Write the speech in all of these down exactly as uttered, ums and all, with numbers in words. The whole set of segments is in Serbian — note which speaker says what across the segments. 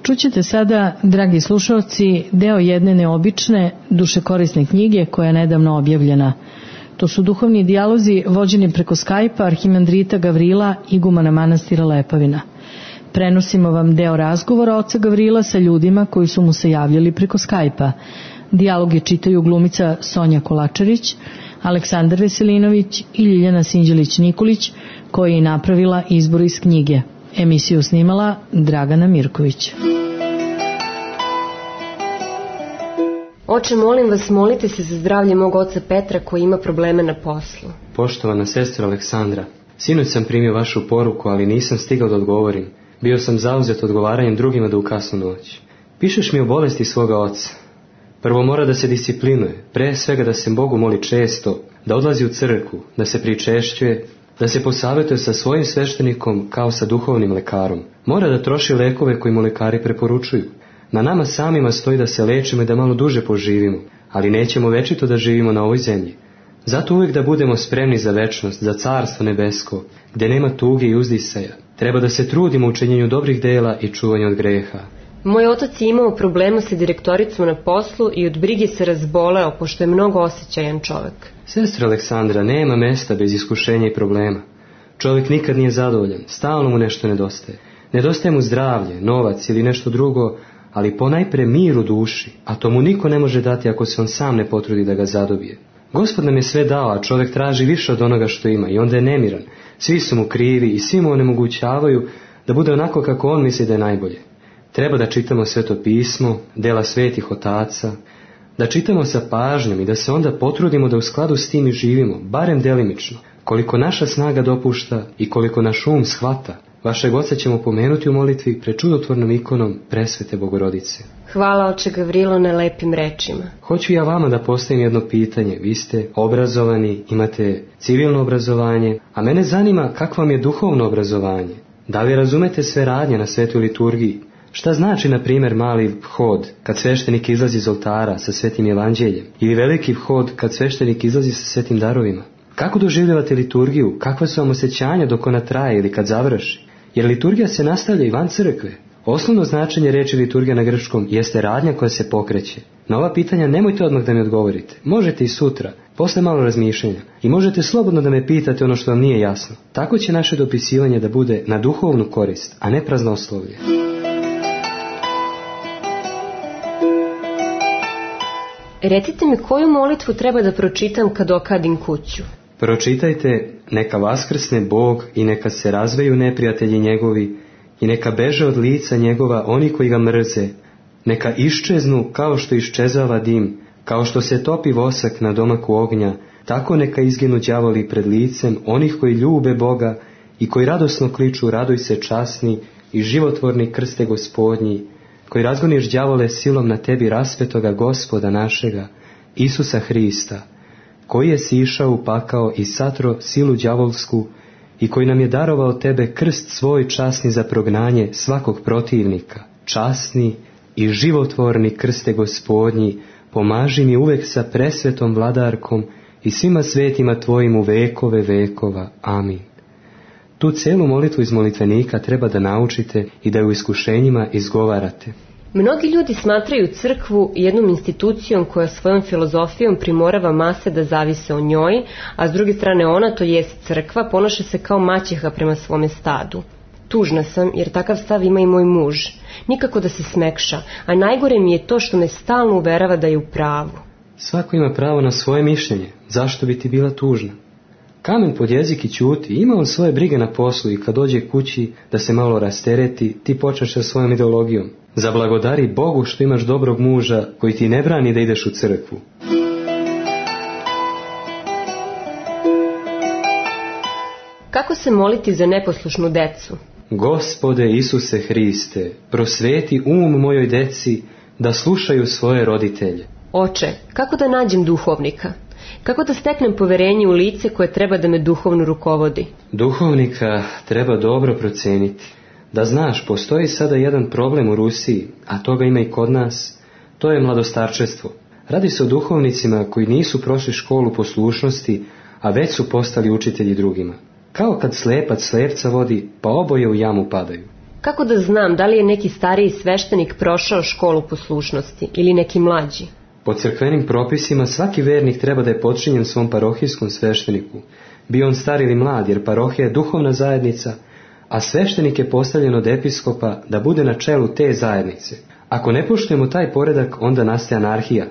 Speaker 1: Čućete sada, dragi slušalci, deo jedne neobične, dušekorisne knjige koja je nedavno objavljena. To su duhovni dijalozi vođeni preko Skype-a arhimandrita Gavrila, igumana manastira Lepavina. Prenosimo vam deo razgovora oca Gavrila sa ljudima koji su mu se javljali preko Skype-a. Dijaloge čitaju glumica Sonja Kolačarić, Aleksandar Veselinović i Ljiljana Sinđelić-Nikolić, koja je napravila izbor iz knjige. Emisiju snimala Dragana Mirković.
Speaker 2: Oče, molim vas, molite se za zdravlje mog oca Petra koji ima probleme na poslu.
Speaker 3: Poštovana sestra Aleksandra, sinoć sam primio vašu poruku, ali nisam stigao da odgovorim. Bio sam zauzet odgovaranjem drugima do u kasnu noć. Pišeš mi o bolesti svoga oca. Prvo mora da se disciplinuje, pre svega da se Bogu moli često, da odlazi u crkvu, da se pričešćuje, da se posavetuje sa svojim sveštenikom kao sa duhovnim lekarom. Mora da troši lekove koji mu lekari preporučuju. Na nama samima stoji da se lečimo i da malo duže poživimo, ali nećemo večito da živimo na ovoj zemlji. Zato uvijek da budemo spremni za večnost, za carstvo nebesko, gdje nema tuge i uzdisaja. Treba da se trudimo u činjenju dobrih dela i čuvanju od greha.
Speaker 2: Moj otac je imao problema sa direktoricom na poslu i od brige se razboleo, pošto je mnogo osjećajan čovjek.
Speaker 3: Sestra Aleksandra, nema mesta bez iskušenja i problema. Čovjek nikad nije zadovoljan, stalno mu nešto nedostaje. Nedostaje mu zdravlje, novac ili nešto drugo, ali ponajpre mir u duši, a to mu niko ne može dati ako se on sam ne potrudi da ga zadobije. Gospod nam je sve dao, a čovjek traži više od onoga što ima i onda je nemiran. Svi su mu krivi i svi mu onemogućavaju da bude onako kako on misli da je najbolje. Treba da čitamo Sveto pismo, dela svetih otaca, da čitamo sa pažnjom i da se onda potrudimo da u skladu s tim i živimo, barem delimično, koliko naša snaga dopušta i koliko naš um shvata. Vašeg oca ćemo pomenuti u molitvi pred čudotvornom ikonom Presvete Bogorodice.
Speaker 2: Hvala, oče Gavrilo, na lepim rečima.
Speaker 3: Hoću ja vama da postavim jedno pitanje. Vi ste obrazovani, imate civilno obrazovanje, a mene zanima kako vam je duhovno obrazovanje. Da li razumete sve radnje na svetoj liturgiji? Šta znači, na primjer, mali vhod kad sveštenik izlazi iz oltara sa svetim evanđeljem ili veliki vhod kad sveštenik izlazi sa svetim darovima? Kako doživljavate liturgiju? Kakva su vam osjećanja dok ona traje ili kad završi? Jer liturgija se nastavlja i van crkve. Osnovno značenje riječi liturgija na grčkom jeste radnja koja se pokreće. Na ova pitanja nemojte odmah da mi odgovorite. Možete i sutra, posle malo razmišljenja. I možete slobodno da me pitate ono što vam nije jasno. Tako će naše dopisivanje da bude na duhovnu korist, a ne praznoslovlje.
Speaker 2: Recite mi, koju molitvu treba da pročitam kad okadim kuću?
Speaker 3: Pročitajte: neka vaskrsne Bog i neka se razveju neprijatelji njegovi i neka beže od lica njegova oni koji ga mrze. Neka iščeznu kao što iščezava dim, kao što se topi vosak na domaku ognja, tako neka izginu đavoli pred licem onih koji ljube Boga i koji radosno kliču: raduj se časni i životvorni krste Gospodnji, koji razgoniš đavole silom na tebi raspetoga Gospoda našega, Isusa Hrista, koji je sišao u pakao i satro silu đavolsku i koji nam je darovao tebe krst svoj časni za prognanje svakog protivnika. Časni i životvorni krste Gospodnji, pomaži mi uvek sa presvetom vladarkom i svima svetima tvojim u vekove vekova. Amin. Tu celu molitvu iz molitvenika treba da naučite i da ju u iskušenjima izgovarate.
Speaker 2: Mnogi ljudi smatraju crkvu jednom institucijom koja svojom filozofijom primorava mase da zavise o njoj, a s druge strane ona, to jest crkva, ponaša se kao maćeha prema svome stadu. Tužna sam, jer takav stav ima i moj muž. Nikako da se smekša, a najgore mi je to što me stalno uverava da je u pravu.
Speaker 3: Svako ima pravo na svoje mišljenje. Zašto bi ti bila tužna? Kamen pod jezik i ćuti, ima on svoje brige na poslu i kad dođe kući da se malo rastereti, ti počneš sa svojom ideologijom. Zablagodari Bogu što imaš dobrog muža koji ti ne brani da ideš u crkvu.
Speaker 2: Kako se moliti za neposlušnu decu?
Speaker 3: Gospode Isuse Hriste, prosveti um mojoj deci da slušaju svoje roditelje.
Speaker 2: Oče, kako da nađem duhovnika? Kako da steknem poverenje u lice koje treba da me duhovno rukovodi?
Speaker 3: Duhovnika treba dobro proceniti. Da znaš, postoji sada jedan problem u Rusiji, a toga ima i kod nas, to je mladostarčestvo. Radi se o duhovnicima koji nisu prošli školu poslušnosti, a već su postali učitelji drugima. Kao kad slepac slepca vodi, pa oboje u jamu padaju.
Speaker 2: Kako da znam da li je neki stariji sveštenik prošao školu poslušnosti ili neki mlađi?
Speaker 3: Po crkvenim propisima svaki vernik treba da je podčinjen svom parohijskom svešteniku, bio on star ili mlad, jer parohija je duhovna zajednica, a sveštenik je postavljen od episkopa da bude na čelu te zajednice. Ako ne poštujemo taj poredak, onda nastaje anarhija.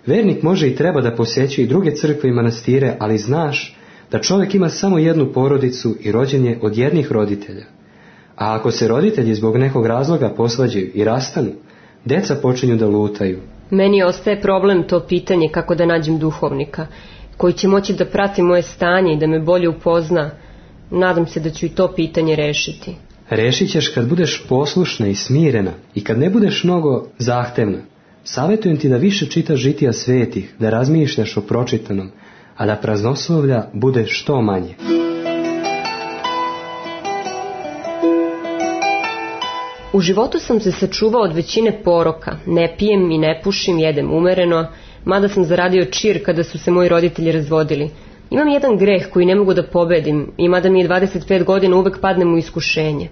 Speaker 3: Vernik može i treba da posjećuje i druge crkve i manastire, ali znaš da čovjek ima samo jednu porodicu i rođen je od jednih roditelja. A ako se roditelji zbog nekog razloga posvađaju i rastanu, deca počinju da lutaju.
Speaker 2: Meni ostaje problem to pitanje kako da nađem duhovnika, koji će moći da prati moje stanje i da me bolje upozna. Nadam se da ću i to pitanje rešiti.
Speaker 3: Rešit ćeš kad budeš poslušna i smirena i kad ne budeš mnogo zahtevna. Savjetujem ti da više čitaš žitija svetih, da razmišljaš o pročitanom, a da praznoslovlja bude što manje.
Speaker 2: U životu sam se sačuvao od većine poroka, ne pijem i ne pušim, jedem umereno, mada sam zaradio čir kada su se moji roditelji razvodili. Imam jedan greh koji ne mogu da pobedim i mada mi je dvadeset pet godina uvek padnem u iskušenje.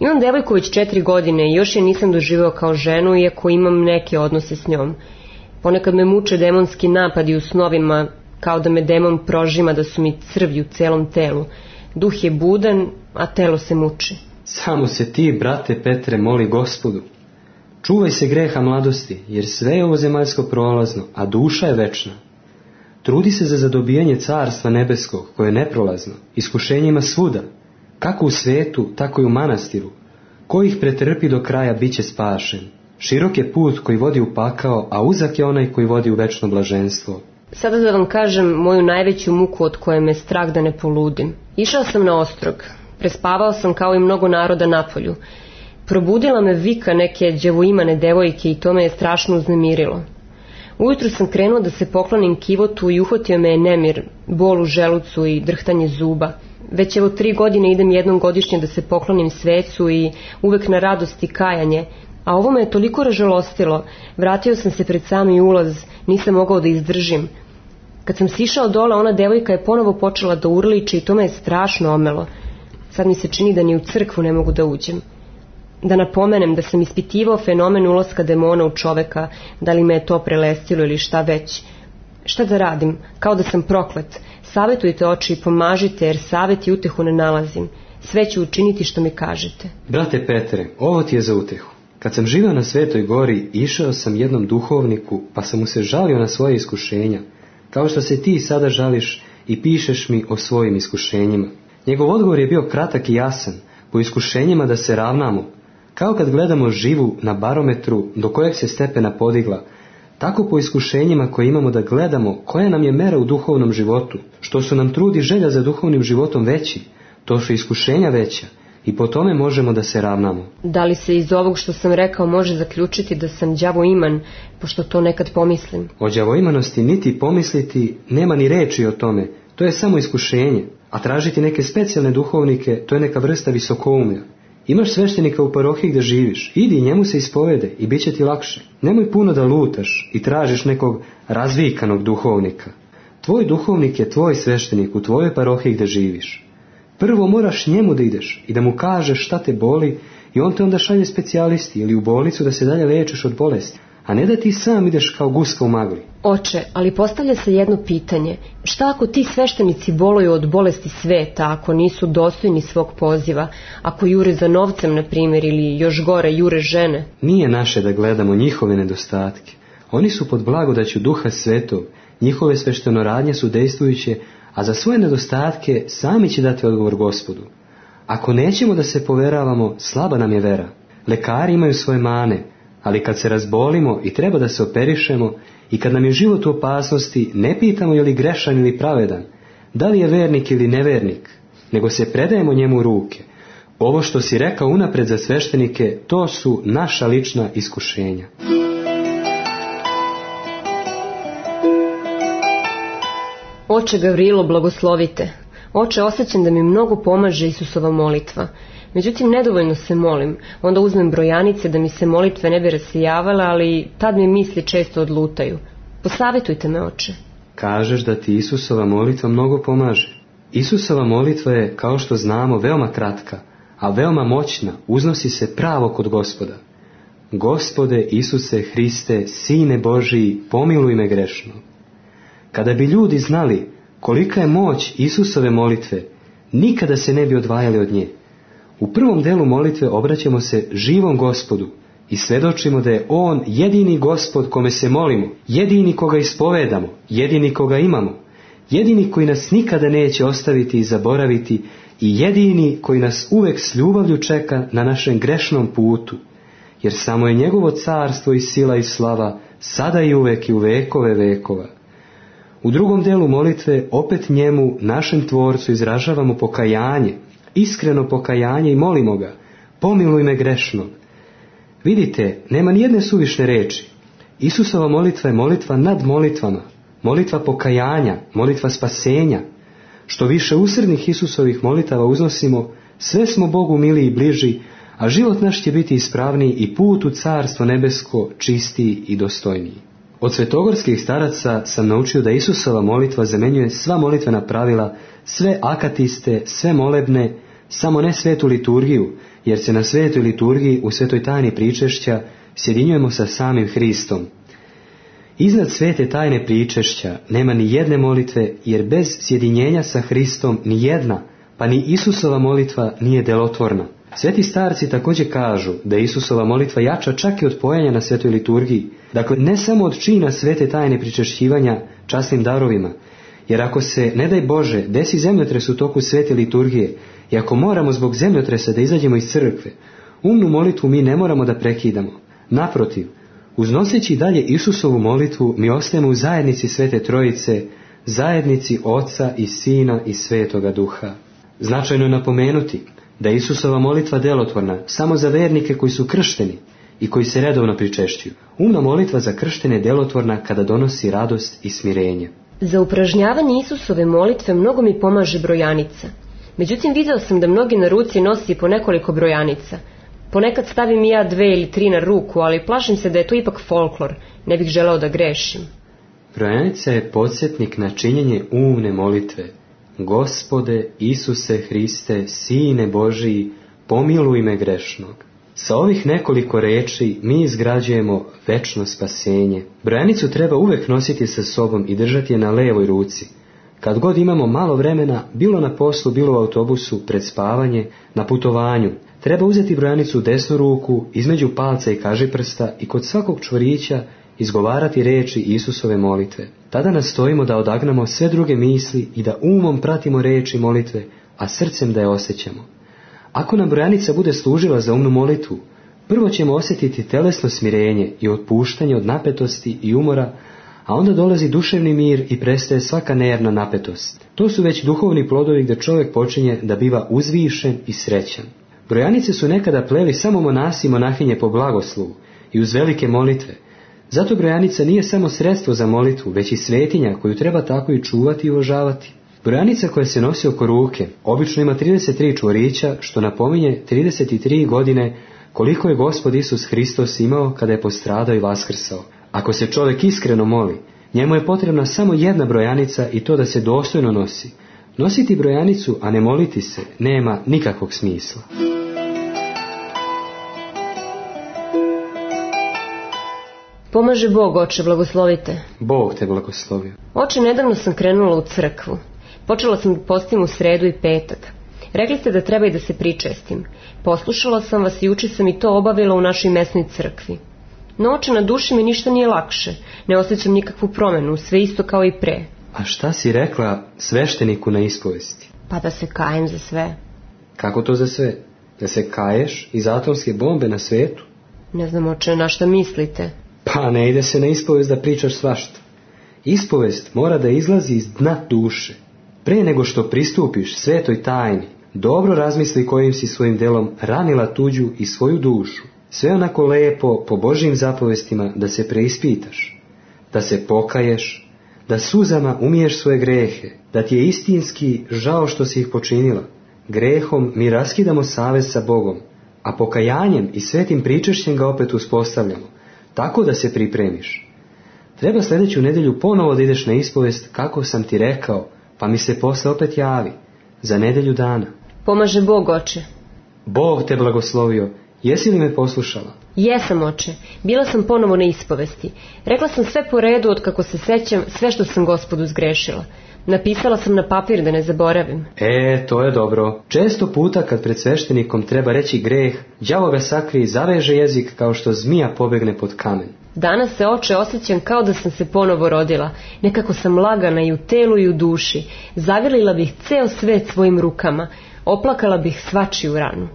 Speaker 2: Imam devojku već četiri godine i još je nisam doživeo kao ženu, iako imam neke odnose s njom. Ponekad me muče demonski napadi u snovima, kao da me demon prožima, da su mi crvi u celom telu. Duh je budan, a telo se muči.
Speaker 3: Samo se ti, brate Petre, moli Gospodu. Čuvaj se greha mladosti, jer sve je ovo zemaljsko prolazno, a duša je večna. Trudi se za zadobijanje carstva nebeskog, koje je neprolazno, iskušenjima svuda, kako u svetu, tako i u manastiru. Ko ih pretrpi do kraja, bit će spašen. Širok je put koji vodi u pakao, a uzak je onaj koji vodi u večno blaženstvo.
Speaker 2: Sada da vam kažem moju najveću muku od koje me strah da ne poludim. Išao sam na ostrog. Prespavao sam kao i mnogo naroda napolju. Probudila me vika neke đavoimane devojke i to me je strašno uznemirilo. Ujutru sam krenuo da se poklonim kivotu i uhvatio me je nemir, bol u želucu i drhtanje zuba. Već evo tri godine idem jednom godišnje da se poklonim svecu i uvek na radost i kajanje, a ovo me je toliko ražalostilo. Vratio sam se pred sami ulaz, nisam mogao da izdržim. Kad sam sišao dole, ona devojka je ponovo počela da urliče i to me je strašno omelo. Sad mi se čini da ni u crkvu ne mogu da uđem. Da napomenem da sam ispitivao fenomen ulaska demona u čoveka, da li me je to prelestilo ili šta već. Šta da radim? Kao da sam proklet. Savetujte oči i pomažite, jer savet i utehu ne nalazim. Sve ću učiniti što mi kažete.
Speaker 3: Brate Petre, ovo ti je za utehu. Kad sam živio na Svetoj gori, išao sam jednom duhovniku, pa sam mu se žalio na svoje iskušenja, kao što se ti sada žališ i pišeš mi o svojim iskušenjima. Njegov odgovor je bio kratak i jasan, po iskušenjima da se ravnamo. Kao kad gledamo živu na barometru do kojeg se stepena podigla, tako po iskušenjima koje imamo da gledamo koja nam je mera u duhovnom životu. Što su nam trud i želja za duhovnim životom veći, to su iskušenja veća i po tome možemo da se ravnamo.
Speaker 2: Da li se iz ovog što sam rekao može zaključiti da sam đavoiman, pošto to nekad pomislim?
Speaker 3: O đavoimanosti niti pomisliti, nema ni reči o tome, to je samo iskušenje, a tražiti neke specijalne duhovnike, to je neka vrsta visokoumlja. Imaš sveštenika u parohiji gdje živiš, idi njemu se ispovede i bit će ti lakše. Nemoj puno da lutaš i tražiš nekog razvikanog duhovnika. Tvoj duhovnik je tvoj sveštenik u tvojoj parohiji gdje živiš. Prvo moraš njemu da ideš i da mu kažeš šta te boli i on te onda šalje specijalisti ili u bolnicu da se dalje lečiš od bolesti, a ne da ti sam ideš kao guska u magli.
Speaker 2: Oče, ali postavlja se jedno pitanje. Šta ako ti sveštenici boluju od bolesti sveta, ako nisu dostojni svog poziva, ako jure za novcem, na primjer, ili još gore, jure žene?
Speaker 3: Nije naše da gledamo njihove nedostatke. Oni su pod blagodaću Duha Svetog, njihove sveštenoradnje su dejstvujuće, a za svoje nedostatke sami će dati odgovor Gospodu. Ako nećemo da se poveravamo, slaba nam je vera. Lekari imaju svoje mane, ali kad se razbolimo i treba da se operišemo i kad nam je život u opasnosti, ne pitamo je li grešan ili pravedan, da li je vernik ili nevernik, nego se predajemo njemu u ruke. Ovo što si rekao unapred za sveštenike, to su naša lična iskušenja.
Speaker 2: Oče Gavrilo, blagoslovite. Oče, osjećam da mi mnogo pomaže Isusova molitva. Međutim, nedovoljno se molim. Onda uzmem brojanice da mi se molitve ne bi rasijavale, ali tad mi misli često odlutaju. Posavetujte me, oče.
Speaker 3: Kažeš da ti Isusova molitva mnogo pomaže. Isusova molitva je, kao što znamo, veoma kratka, a veoma moćna, uznosi se pravo kod Gospoda. Gospode Isuse Hriste, Sine Božiji, pomiluj me grešno. Kada bi ljudi znali kolika je moć Isusove molitve, nikada se ne bi odvajali od nje. U prvom delu molitve obraćamo se živom Gospodu i svjedočimo da je On jedini Gospod kome se molimo, jedini koga ispovedamo, jedini koga imamo, jedini koji nas nikada neće ostaviti i zaboraviti i jedini koji nas uvek s ljubavlju čeka na našem grešnom putu, jer samo je njegovo carstvo i sila i slava sada i uvek i u vekove vekova. U drugom delu molitve opet njemu, našem Tvorcu, izražavamo pokajanje, iskreno pokajanje i molimo ga, pomiluj me grešnog. Vidite, nema nijedne suvišne reči. Isusova molitva je molitva nad molitvama, molitva pokajanja, molitva spasenja. Što više usrednih Isusovih molitava uznosimo, sve smo Bogu miliji i bliži, a život naš će biti ispravniji i put u carstvo nebesko čistiji i dostojniji. Od svetogorskih staraca sam naučio da Isusova molitva zamenjuje sva molitvena pravila, sve akatiste, sve molebne, samo ne svetu liturgiju, jer se na svetoj liturgiji u svetoj tajni pričešća sjedinjujemo sa samim Hristom. Iznad svete tajne pričešća nema ni jedne molitve, jer bez sjedinjenja sa Hristom ni jedna, pa ni Isusova molitva nije delotvorna. Sveti starci također kažu da je Isusova molitva jača čak i od pojanja na svetoj liturgiji, dakle ne samo od čina svete tajne pričešćivanja časnim darovima, jer ako se, ne daj Bože, desi zemljotres u toku svete liturgije i ako moramo zbog zemljotresa da izađemo iz crkve, umnu molitvu mi ne moramo da prekidamo. Naprotiv, uznoseći dalje Isusovu molitvu, mi ostajemo u zajednici Svete Trojice, zajednici Oca i Sina i Svetoga Duha. Značajno je napomenuti da je Isusova molitva delotvorna samo za vernike koji su kršteni i koji se redovno pričešćuju. Umna molitva za krštene je delotvorna kada donosi radost i smirenje.
Speaker 2: Za upražnjavanje Isusove molitve mnogo mi pomaže brojanica. Međutim, video sam da mnogi na ruci nosi po nekoliko brojanica. Ponekad stavim i ja dve ili tri na ruku, ali plašim se da je to ipak folklor. Ne bih želeo da grešim.
Speaker 3: Brojanica je podsjetnik na činjenje umne molitve. Gospode Isuse Hriste, Sine Božiji, pomiluj me grešnog. Sa ovih nekoliko reči mi izgrađujemo večno spasenje. Brojanicu treba uvek nositi sa sobom i držati je na levoj ruci. Kad god imamo malo vremena, bilo na poslu, bilo u autobusu, pred spavanje, na putovanju, treba uzeti brojanicu u desnu ruku, između palca i kažiprsta i kod svakog čvorića izgovarati reči Isusove molitve. Tada nastojimo da odagnamo sve druge misli i da umom pratimo reči molitve, a srcem da je osjećamo. Ako nam brojanica bude služila za umnu molitvu, prvo ćemo osjetiti telesno smirenje i otpuštanje od napetosti i umora, a onda dolazi duševni mir i prestaje svaka nervna napetost. To su već duhovni plodovi gdje čovjek počinje da biva uzvišen i srećan. Brojanice su nekada pleli samo monasi i monahinje po blagoslovu i uz velike molitve. Zato brojanica nije samo sredstvo za molitvu, već i svetinja koju treba tako i čuvati i uvažavati. Brojanica koja se nosi oko ruke obično ima trideset tri čvorića, što napominje trideset tri godine koliko je Gospod Isus Hristos imao kada je postradao i vaskrsao. Ako se čovjek iskreno moli, njemu je potrebna samo jedna brojanica i to da se dostojno nosi. Nositi brojanicu, a ne moliti se, nema nikakvog smisla.
Speaker 2: Pomaže Bog, oče, blagoslovite.
Speaker 3: Bog te blagoslovio.
Speaker 2: Oče, nedavno sam krenula u crkvu. Počela sam da postim u sredu i petak. Rekli ste da treba i da se pričestim. Poslušala sam vas i juče sam i to obavila u našoj mesnoj crkvi. No, oče, na duši mi ništa nije lakše. Ne osjećam nikakvu promenu, sve isto kao i pre.
Speaker 3: A šta si rekla svešteniku na ispovesti?
Speaker 2: Pa da se kajem za sve.
Speaker 3: Kako to za sve? Da se kaješ iz atomske bombe na svetu?
Speaker 2: Ne znam, oče, na šta mislite.
Speaker 3: Pa ne ide se na ispovest da pričaš svašta. Ispovest mora da izlazi iz dna duše. Pre nego što pristupiš svetoj tajni, dobro razmisli kojim si svojim delom ranila tuđu i svoju dušu. Sve onako lepo, po Božjim zapovestima, da se preispitaš, da se pokaješ, da suzama umiješ svoje grehe, da ti je istinski žao što si ih počinila. Grehom mi raskidamo savez sa Bogom, a pokajanjem i svetim pričešćem ga opet uspostavljamo, tako da se pripremiš. Treba sljedeću nedjelju ponovo da ideš na ispovest kako sam ti rekao, pa mi se posle opet javi, za nedjelju dana.
Speaker 2: Pomaže Bog, oče.
Speaker 3: Bog te blagoslovio. Jesi li me poslušala?
Speaker 2: Jesam, oče. Bila sam ponovo na ispovesti. Rekla sam sve po redu od kako se sećam, sve što sam Gospodu zgrešila. Napisala sam na papir da ne zaboravim.
Speaker 3: E, to je dobro. Često puta kad pred sveštenikom treba reći greh, đavo ga sakri i zaveže jezik kao što zmija pobegne pod kamen.
Speaker 2: Danas se, oče, osjećam kao da sam se ponovo rodila. Nekako sam lagana i u telu i u duši. Zagrlila bih ceo svet svojim rukama. Oplakala bih svačiju ranu.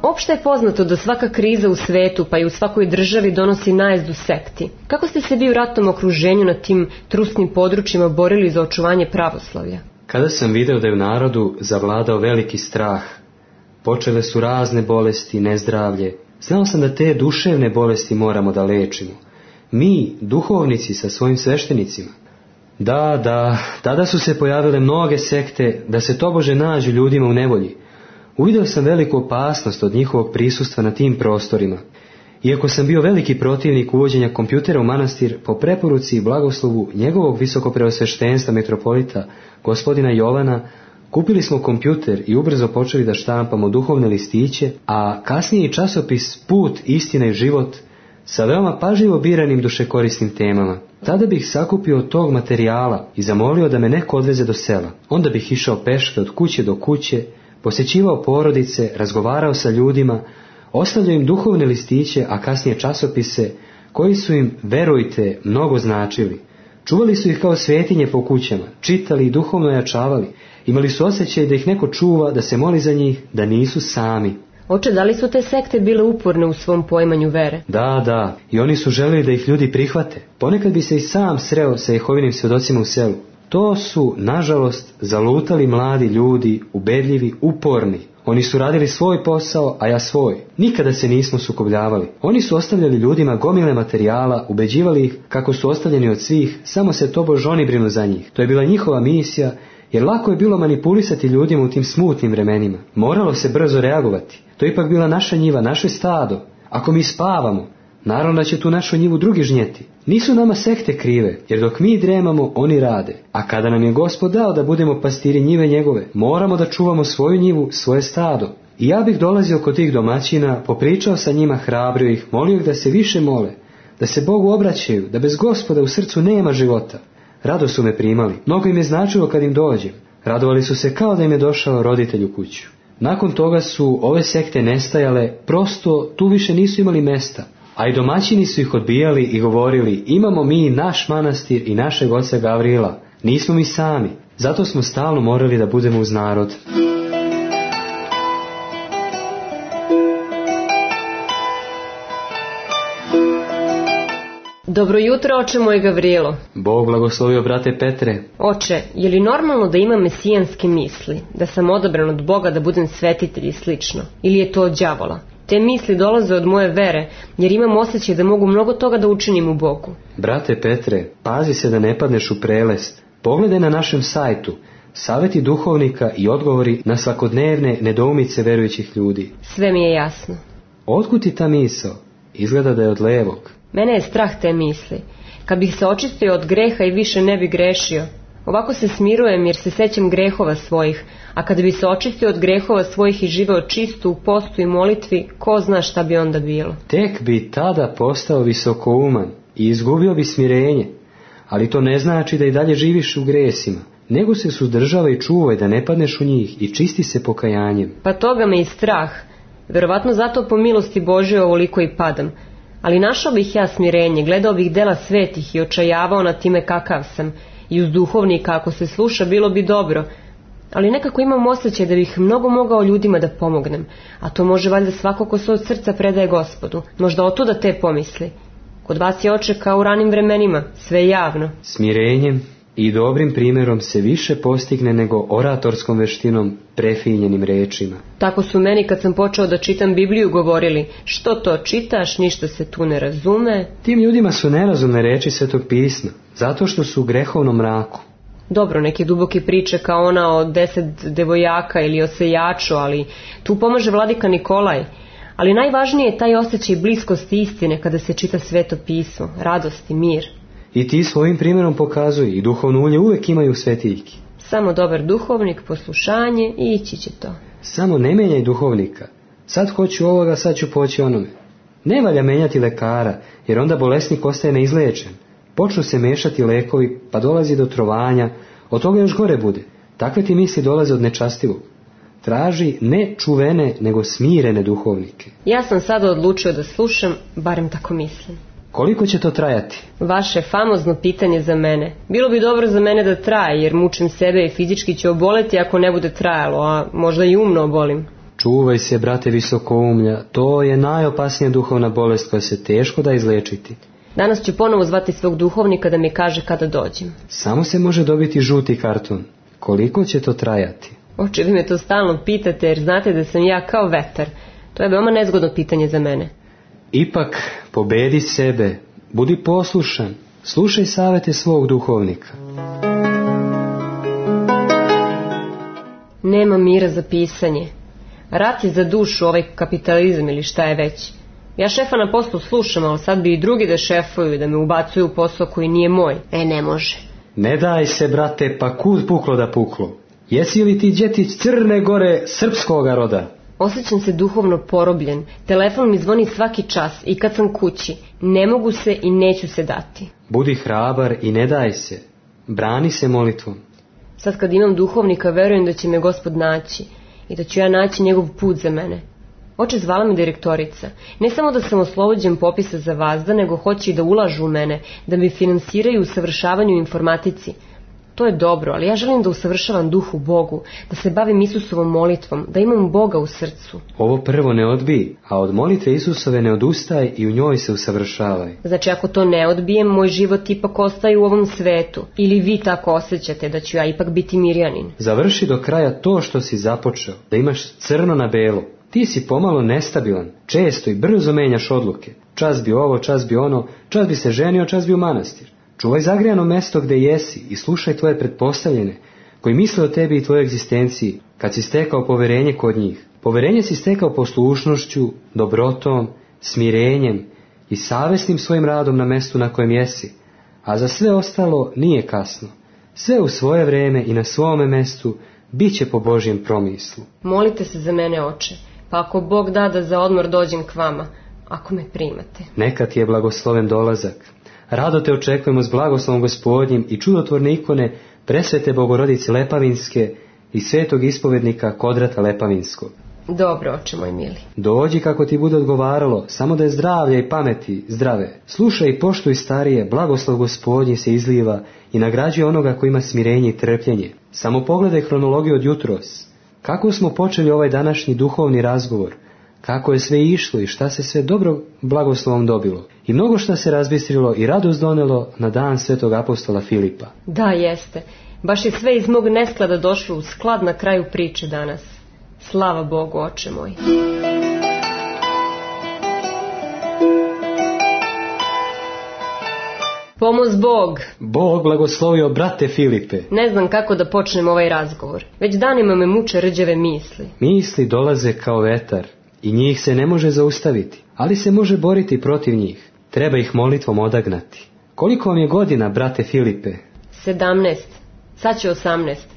Speaker 2: Opšte je poznato da svaka kriza u svetu, pa i u svakoj državi, donosi najezdu sekti. Kako ste se vi u ratnom okruženju na tim trusnim područjima borili za očuvanje pravoslavlja?
Speaker 3: Kada sam video da je u narodu zavladao veliki strah, počele su razne bolesti, nezdravlje, znao sam da te duševne bolesti moramo da lečimo. Mi, duhovnici sa svojim sveštenicima. Da, da, tada su se pojavile mnoge sekte da se tobože nađu ljudima u nevolji. Uvideo sam veliku opasnost od njihovog prisustva na tim prostorima. Iako sam bio veliki protivnik uvođenja kompjutera u manastir, po preporuci i blagoslovu njegovog visokopreosveštenstva metropolita, gospodina Jovana, kupili smo kompjuter i ubrzo počeli da štampamo duhovne listiće, a kasnije i časopis Put, istina i život, sa veoma pažljivo biranim dušekorisnim temama. Tada bih sakupio od tog materijala i zamolio da me neko odveze do sela. Onda bih išao peške od kuće do kuće, posjećivao porodice, razgovarao sa ljudima, ostavljao im duhovne listiće, a kasnije časopise, koji su im, verujte, mnogo značili. Čuvali su ih kao svetinje po kućama, čitali i duhovno jačavali. Imali su osjećaj da ih neko čuva, da se moli za njih, da nisu sami.
Speaker 2: Oče, da li su te sekte bile uporne u svom poimanju vere?
Speaker 3: Da, da, i oni su želeli da ih ljudi prihvate. Ponekad bi se i sam sreo sa Jehovinim svjedocima u selu. To su, nažalost, zalutali mladi ljudi, ubedljivi, uporni. Oni su radili svoj posao, a ja svoj. Nikada se nismo sukobljavali. Oni su ostavljali ljudima gomile materijala, ubeđivali ih kako su ostavljeni od svih, samo se tobož oni brinu za njih. To je bila njihova misija, jer lako je bilo manipulisati ljudima u tim smutnim vremenima. Moralo se brzo reagovati. To je ipak bila naša njiva, naše stado. Ako mi spavamo, naravno da će tu našu njivu drugi žnjeti. Nisu nama sekte krive, jer dok mi dremamo, oni rade. A kada nam je Gospod dao da budemo pastiri njive njegove, moramo da čuvamo svoju njivu, svoje stado. I ja bih dolazio kod tih domaćina, popričao sa njima, hrabrio ih, molio ih da se više mole, da se Bogu obraćaju, da bez Gospoda u srcu nema života. Rado su me primali, mnogo im je značilo kad im dođem. Radovali su se kao da im je došao roditelj u kuću. Nakon toga su ove sekte nestajale, prosto tu više nisu imali mesta. A i domaćini su ih odbijali i govorili, imamo mi naš manastir i našeg oca Gavrila, nismo mi sami, zato smo stalno morali da budemo uz narod.
Speaker 2: Dobro jutro, oče moj Gavrilo.
Speaker 3: Bog blagoslovio, brate Petre.
Speaker 2: Oče, je li normalno da imam mesijanske misli, da sam odabran od Boga da budem svetitelj i slično, ili je to od đavola? Te misli dolaze od moje vere, jer imam osjećaj da mogu mnogo toga da učinim u Bogu.
Speaker 3: Brate Petre, pazi se da ne padneš u prelest. Pogledaj na našem sajtu saveti duhovnika i odgovori na svakodnevne nedoumice verujućih ljudi.
Speaker 2: Sve mi je jasno.
Speaker 3: Otkud ti ta misao? Izgleda da je od levog.
Speaker 2: Mene je strah te misli. Kad bih se očistio od greha i više ne bi grešio. Ovako se smirujem jer se sećam grehova svojih, a kada bi se očistio od grehova svojih i živeo čisto u postu i molitvi, ko zna šta bi onda bilo.
Speaker 3: Tek bi tada postao visokouman i izgubio bi smirenje, ali to ne znači da i dalje živiš u gresima, nego se suzdržava i čuvaj da ne padneš u njih i čisti se pokajanjem.
Speaker 2: Pa toga me i strah, verovatno zato po milosti Božje ovoliko i padam. Ali našao bih ja smirenje, gledao bih dela svetih i očajavao na time kakav sam, i uz duhovnika ako se sluša bilo bi dobro, ali nekako imam osjećaj da bih mnogo mogao ljudima da pomognem, a to može valjda svako ko se od srca predaje Gospodu, možda otuda te pomisli. Kod vas je, oče, kao u ranim vremenima, sve javno.
Speaker 3: Smirenjem i dobrim primjerom se više postigne nego oratorskom veštinom, prefinjenim rečima.
Speaker 2: Tako su meni kad sam počeo da čitam Bibliju govorili, što to čitaš, ništa se tu ne razume.
Speaker 3: Tim ljudima su nerazumne reči Svetog pisma, zato što su u grehovnom mraku.
Speaker 2: Dobro, neke duboke priče kao ona o deset devojaka ili o sejaču, ali tu pomaže vladika Nikolaj. Ali najvažnije je taj osjećaj bliskosti istine kada se čita Sveto pismo, radost i mir.
Speaker 3: I ti svojim primjerom pokazuj, i duhovno ulje uvek imaju svetiljki.
Speaker 2: Samo dobar duhovnik, poslušanje i ići će to.
Speaker 3: Samo ne menjaj duhovnika. Sad hoću ovoga, sad ću poći onome. Ne valja menjati lekara, jer onda bolesnik ostaje neizlečen. Počnu se mešati lekovi, pa dolazi do trovanja, od toga još gore bude. Takve ti misli dolaze od nečastivog. Traži ne čuvene, nego smirene duhovnike.
Speaker 2: Ja sam sada odlučio da slušam, barem tako mislim.
Speaker 3: Koliko će to trajati?
Speaker 2: Vaše famozno pitanje za mene. Bilo bi dobro za mene da traje, jer mučim sebe i fizički ću oboleti ako ne bude trajalo, a možda i umno obolim.
Speaker 3: Čuvaj se, brate visokoumlja, to je najopasnija duhovna bolest koja se teško da izlečiti.
Speaker 2: Danas ću ponovo zvati svog duhovnika da mi kaže kada dođem.
Speaker 3: Samo se može dobiti žuti karton. Koliko će to trajati?
Speaker 2: Oče, vi me to stalno pitate, jer znate da sam ja kao vetar. To je veoma nezgodno pitanje za mene.
Speaker 3: Ipak, pobedi sebe, budi poslušan, slušaj savete svog duhovnika.
Speaker 2: Nema mira za pisanje. Rat je za dušu, ovaj kapitalizam ili šta je već. Ja šefa na poslu slušam, ali sad bi i drugi da šefuju i da me ubacuju u posao koji nije moj. E, ne može.
Speaker 3: Ne daj se, brate, pa kud puklo da puklo. Jesi li ti djetić Crne Gore srpskoga roda?
Speaker 2: Osjećam se duhovno porobljen. Telefon mi zvoni svaki čas i kad sam kući. Ne mogu se i neću se dati.
Speaker 3: Budi hrabar i ne daj se. Brani se molitvom.
Speaker 2: Sad kad imam duhovnika, verujem da će me Gospod naći i da ću ja naći njegov put za mene. Oče, zvala me direktorica. Ne samo da sam oslobođen popisa za vazda, nego hoće i da ulažu u mene, da mi finansiraju usavršavanju u informatici. To je dobro, ali ja želim da usavršavam duh u Bogu, da se bavim Isusovom molitvom, da imam Boga u srcu.
Speaker 3: Ovo prvo ne odbij, a od molitve Isusove ne odustaj i u njoj se usavršavaj.
Speaker 2: Znači, ako to ne odbijem, moj život ipak ostaje u ovom svetu. Ili vi tako osjećate da ću ja ipak biti Mirjanin?
Speaker 3: Završi do kraja to što si započeo, da imaš crno na belo. Ti si pomalo nestabilan, često i brzo menjaš odluke. Čas bi ovo, čas bi ono, čas bi se ženio, čas bi u manastir. Čuvaj zagrijano mesto gde jesi i slušaj tvoje pretpostavljene, koji misle o tebi i tvojoj egzistenciji, kad si stekao poverenje kod njih. Poverenje si stekao poslušnošću, dobrotom, smirenjem i savesnim svojim radom na mestu na kojem jesi, a za sve ostalo nije kasno. Sve u svoje vreme i na svome mestu bit će po Božjem promislu.
Speaker 2: Molite se za mene, oče, pa ako Bog da da za odmor dođem k vama, ako me primate.
Speaker 3: Neka ti je blagosloven dolazak. Rado te očekujemo s blagoslovom Gospodnjim i čudotvorne ikone presvete Bogorodice Lepavinske i svetog ispovednika Kodrata Lepavinskog.
Speaker 2: Dobro, oče moj mili.
Speaker 3: Dođi kako ti bude odgovaralo, samo da je zdravlja i pameti zdrave. Slušaj i poštuj starije, blagoslov Gospodnji se izliva i nagrađuje onoga koji ima smirenje i trpljenje. Samo pogledaj hronologiju od jutros. Kako smo počeli ovaj današnji duhovni razgovor, kako je sve išlo i šta se sve dobro blagoslovom dobilo. I mnogo šta se razbistrilo i radost donelo na dan svetog apostola Filipa.
Speaker 2: Da, jeste. Baš je sve iz mog nesklada došlo u sklad na kraju priče danas. Slava Bogu, oče moj. Pomoz Bog.
Speaker 3: Bog blagoslovio, brate Filipe.
Speaker 2: Ne znam kako da počnem ovaj razgovor. Već danima me muče rđave misli.
Speaker 3: Misli dolaze kao vetar i njih se ne može zaustaviti, ali se može boriti protiv njih. Treba ih molitvom odagnati. Koliko vam je godina, brate Filipe?
Speaker 2: Sedamnaest. Sad će osamnaest.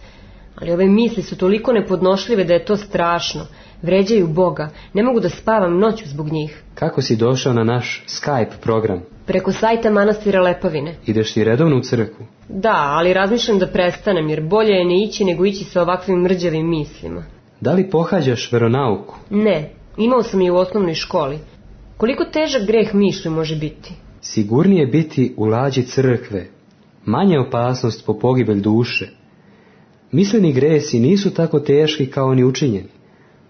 Speaker 2: Ali ove misli su toliko nepodnošljive da je to strašno. Vređaju Boga. Ne mogu da spavam noću zbog njih.
Speaker 3: Kako si došao na naš Skype program?
Speaker 2: Preko sajta manastira Lepavine.
Speaker 3: Ideš ti redovno u crkvu?
Speaker 2: Da, ali razmišljam da prestanem, jer bolje je ne ići nego ići sa ovakvim mrđavim mislima.
Speaker 3: Da li pohađaš veronauku?
Speaker 2: Ne, imao sam je u osnovnoj školi. Koliko težak greh mišlju može biti?
Speaker 3: Sigurnije biti u lađi crkve. Manja opasnost po pogibelj duše. Misleni gresi nisu tako teški kao oni učinjeni.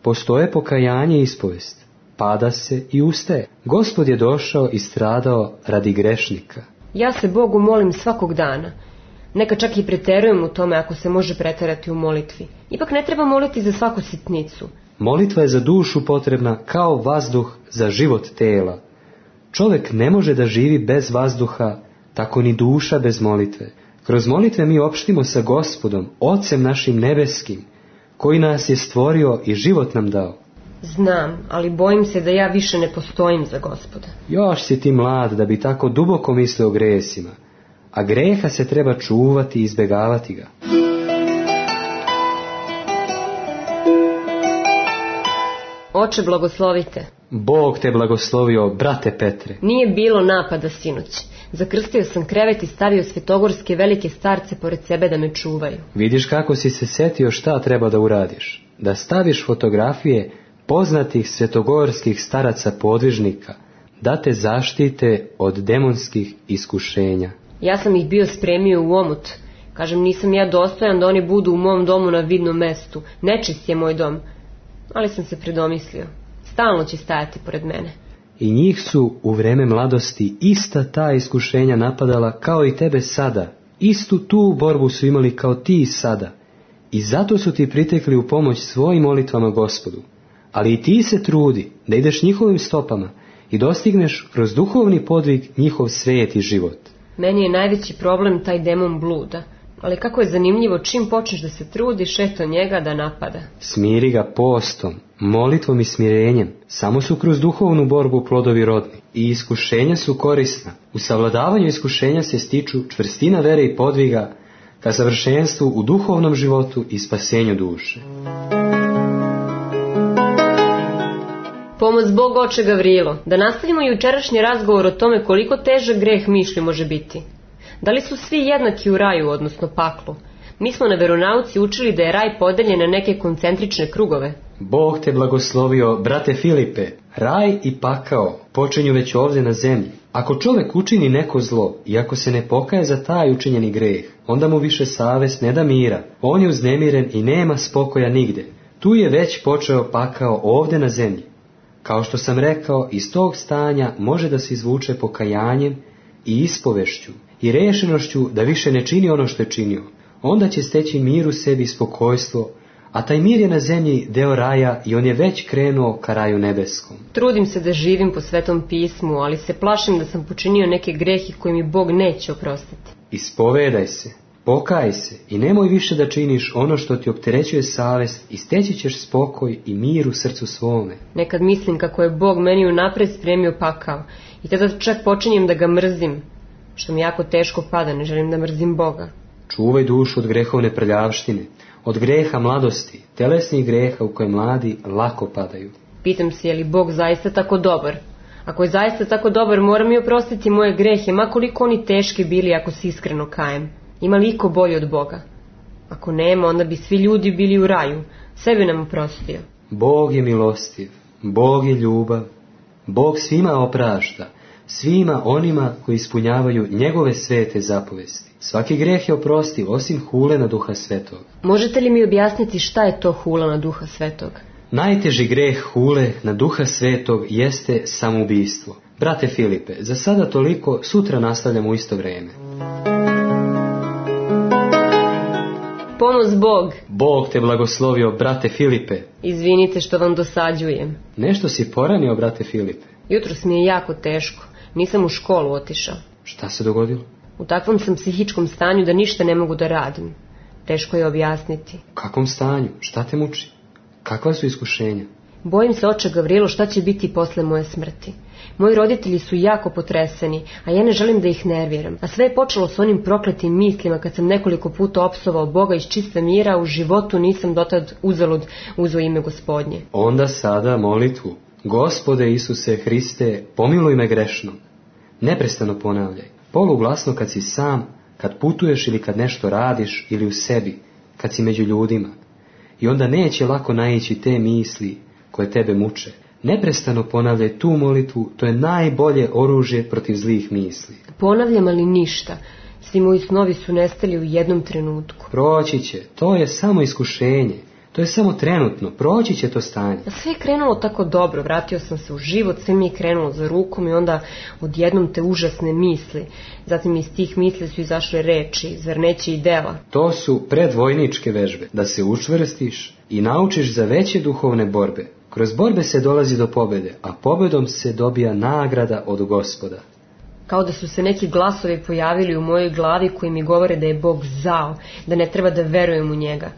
Speaker 3: Postoje pokajanje i ispovest. Pada se i ustaje. Gospod je došao i stradao radi grešnika.
Speaker 2: Ja se Bogu molim svakog dana. Neka čak i preterujem u tome ako se može preterati u molitvi. Ipak ne treba moliti za svaku sitnicu.
Speaker 3: Molitva je za dušu potrebna kao vazduh za život tela. Čovjek ne može da živi bez vazduha, tako ni duša bez molitve. Kroz molitve mi opštimo sa Gospodom, Ocem našim nebeskim, koji nas je stvorio i život nam dao.
Speaker 2: Znam, ali bojim se da ja više ne postojim za Gospoda.
Speaker 3: Još si ti mlad da bi tako duboko mislio o gresima, a greha se treba čuvati i izbjegavati ga.
Speaker 2: Oče, blagoslovite.
Speaker 3: Bog te blagoslovio, brate Petre.
Speaker 2: Nije bilo napada sinoć. Zakrstio sam krevet i stavio svetogorske velike starce pored sebe da me čuvaju.
Speaker 3: Vidiš kako si se setio šta treba da uradiš. Da staviš fotografije poznatih svetogorskih staraca podvižnika, da te zaštite od demonskih iskušenja.
Speaker 2: Ja sam ih bio spremio u omut. Kažem, nisam ja dostojan da oni budu u mom domu na vidnom mestu. Nečist je moj dom. Ali sam se predomislio. Stalno će stajati pored mene.
Speaker 3: I njih su u vreme mladosti ista ta iskušenja napadala kao i tebe sada. Istu tu borbu su imali kao ti sada. I zato su ti pritekli u pomoć svojim molitvama Gospodu. Ali i ti se trudi da ideš njihovim stopama i dostigneš kroz duhovni podvig njihov sveti život.
Speaker 2: Meni je najveći problem taj demon bluda. Ali kako je zanimljivo, čim počneš da se trudiš, eto njega da napada.
Speaker 3: Smiri ga postom, molitvom i smirenjem. Samo su kroz duhovnu borbu plodovi rodni. I iskušenja su korisna. U savladavanju iskušenja se stiču čvrstina vere i podviga ka savršenstvu u duhovnom životu i spasenju duše.
Speaker 2: Pomoz Bog, oče Gavrilo, da nastavimo jučerašnji razgovor o tome koliko težak greh mišlju može biti. Da li su svi jednaki u raju, odnosno paklu? Mi smo na veronauci učili da je raj podeljen na neke koncentrične krugove.
Speaker 3: Bog te blagoslovio, brate Filipe. Raj i pakao počinju već ovdje na zemlji. Ako čovjek učini neko zlo i ako se ne pokaje za taj učinjeni greh, onda mu više savest ne da mira. On je uznemiren i nema spokoja nigde. Tu je već počeo pakao ovdje na zemlji. Kao što sam rekao, iz tog stanja može da se izvuče pokajanjem i ispovešću i rešenošću da više ne čini ono što je činio. Onda će steći mir u sebi i spokojstvo, a taj mir je na zemlji deo raja i on je već krenuo ka raju nebeskom.
Speaker 2: Trudim se da živim po Svetom pismu, ali se plašim da sam počinio neke grehi koje mi Bog neće oprostiti.
Speaker 3: Ispovedaj se, pokaj se i nemoj više da činiš ono što ti opterećuje savest i steći ćeš spokoj i mir u srcu svome.
Speaker 2: Nekad mislim kako je Bog meni unapred spremio pakao i tada čak počinjem da ga mrzim, što mi jako teško pada, ne želim da mrzim Boga.
Speaker 3: Čuvaj dušu od grehovne prljavštine, od greha mladosti, telesnih greha u koje mladi lako padaju.
Speaker 2: Pitam se je li Bog zaista tako dobar? Ako je zaista tako dobar, mora mi oprostiti moje grehe, ma koliko oni teški bili ako se iskreno kajem. Ima li iko bolji od Boga? Ako nema, onda bi svi ljudi bili u raju. Sve bi nam oprostio.
Speaker 3: Bog je milostiv, Bog je ljubav, Bog svima oprašta, svima onima koji ispunjavaju njegove svete zapovesti. Svaki greh je oprostiv, osim hule na Duha Svetog.
Speaker 2: Možete li mi objasniti šta je to hula na Duha Svetog?
Speaker 3: Najteži greh hule na Duha Svetog jeste samoubistvo. Brate Filipe, za sada toliko, sutra nastavljamo u isto vrijeme.
Speaker 2: Pomoz Bog.
Speaker 3: Bog te blagoslovio, brate Filipe.
Speaker 2: Izvinite što vam dosađujem.
Speaker 3: Nešto si poranio, brate Filipe.
Speaker 2: Jutros mi je jako teško. Nisam u školu otišao.
Speaker 3: Šta se dogodilo?
Speaker 2: U takvom sam psihičkom stanju da ništa ne mogu da radim. Teško je objasniti.
Speaker 3: U kakvom stanju? Šta te muči? Kakva su iskušenja?
Speaker 2: Bojim se, oče Gavrilo, šta će biti posle moje smrti. Moji roditelji su jako potreseni, a ja ne želim da ih nerviram. A sve je počelo s onim prokletim mislima kad sam nekoliko puta opsovao Boga iz čista mira, u životu nisam dotad uzalud uzeo ime Gospodnje.
Speaker 3: Onda sada molitvu. Gospode Isuse Hriste, pomiluj me grešno. Neprestano ponavljaj. Poluglasno kad si sam, kad putuješ ili kad nešto radiš ili u sebi, kad si među ljudima. I onda neće lako naići te misli koje tebe muče. Neprestano ponavljaj tu molitvu, to je najbolje oružje protiv zlih misli.
Speaker 2: Ponavljam, ali ništa. Svi moji snovi su nestali u jednom trenutku.
Speaker 3: Proći će, to je samo iskušenje. To je samo trenutno, proći će to stanje.
Speaker 2: A sve je krenulo tako dobro, vratio sam se u život, sve mi je krenulo za rukom i onda odjednom te užasne misli. Zatim iz tih misli su izašle reči, zar neće i dela.
Speaker 3: To su predvojničke vežbe, da se učvrstiš i naučiš za veće duhovne borbe. Kroz borbe se dolazi do pobjede, a pobjedom se dobija nagrada od Gospoda.
Speaker 2: Kao da su se neki glasovi pojavili u mojoj glavi koji mi govore da je Bog zao, da ne treba da verujem u njega.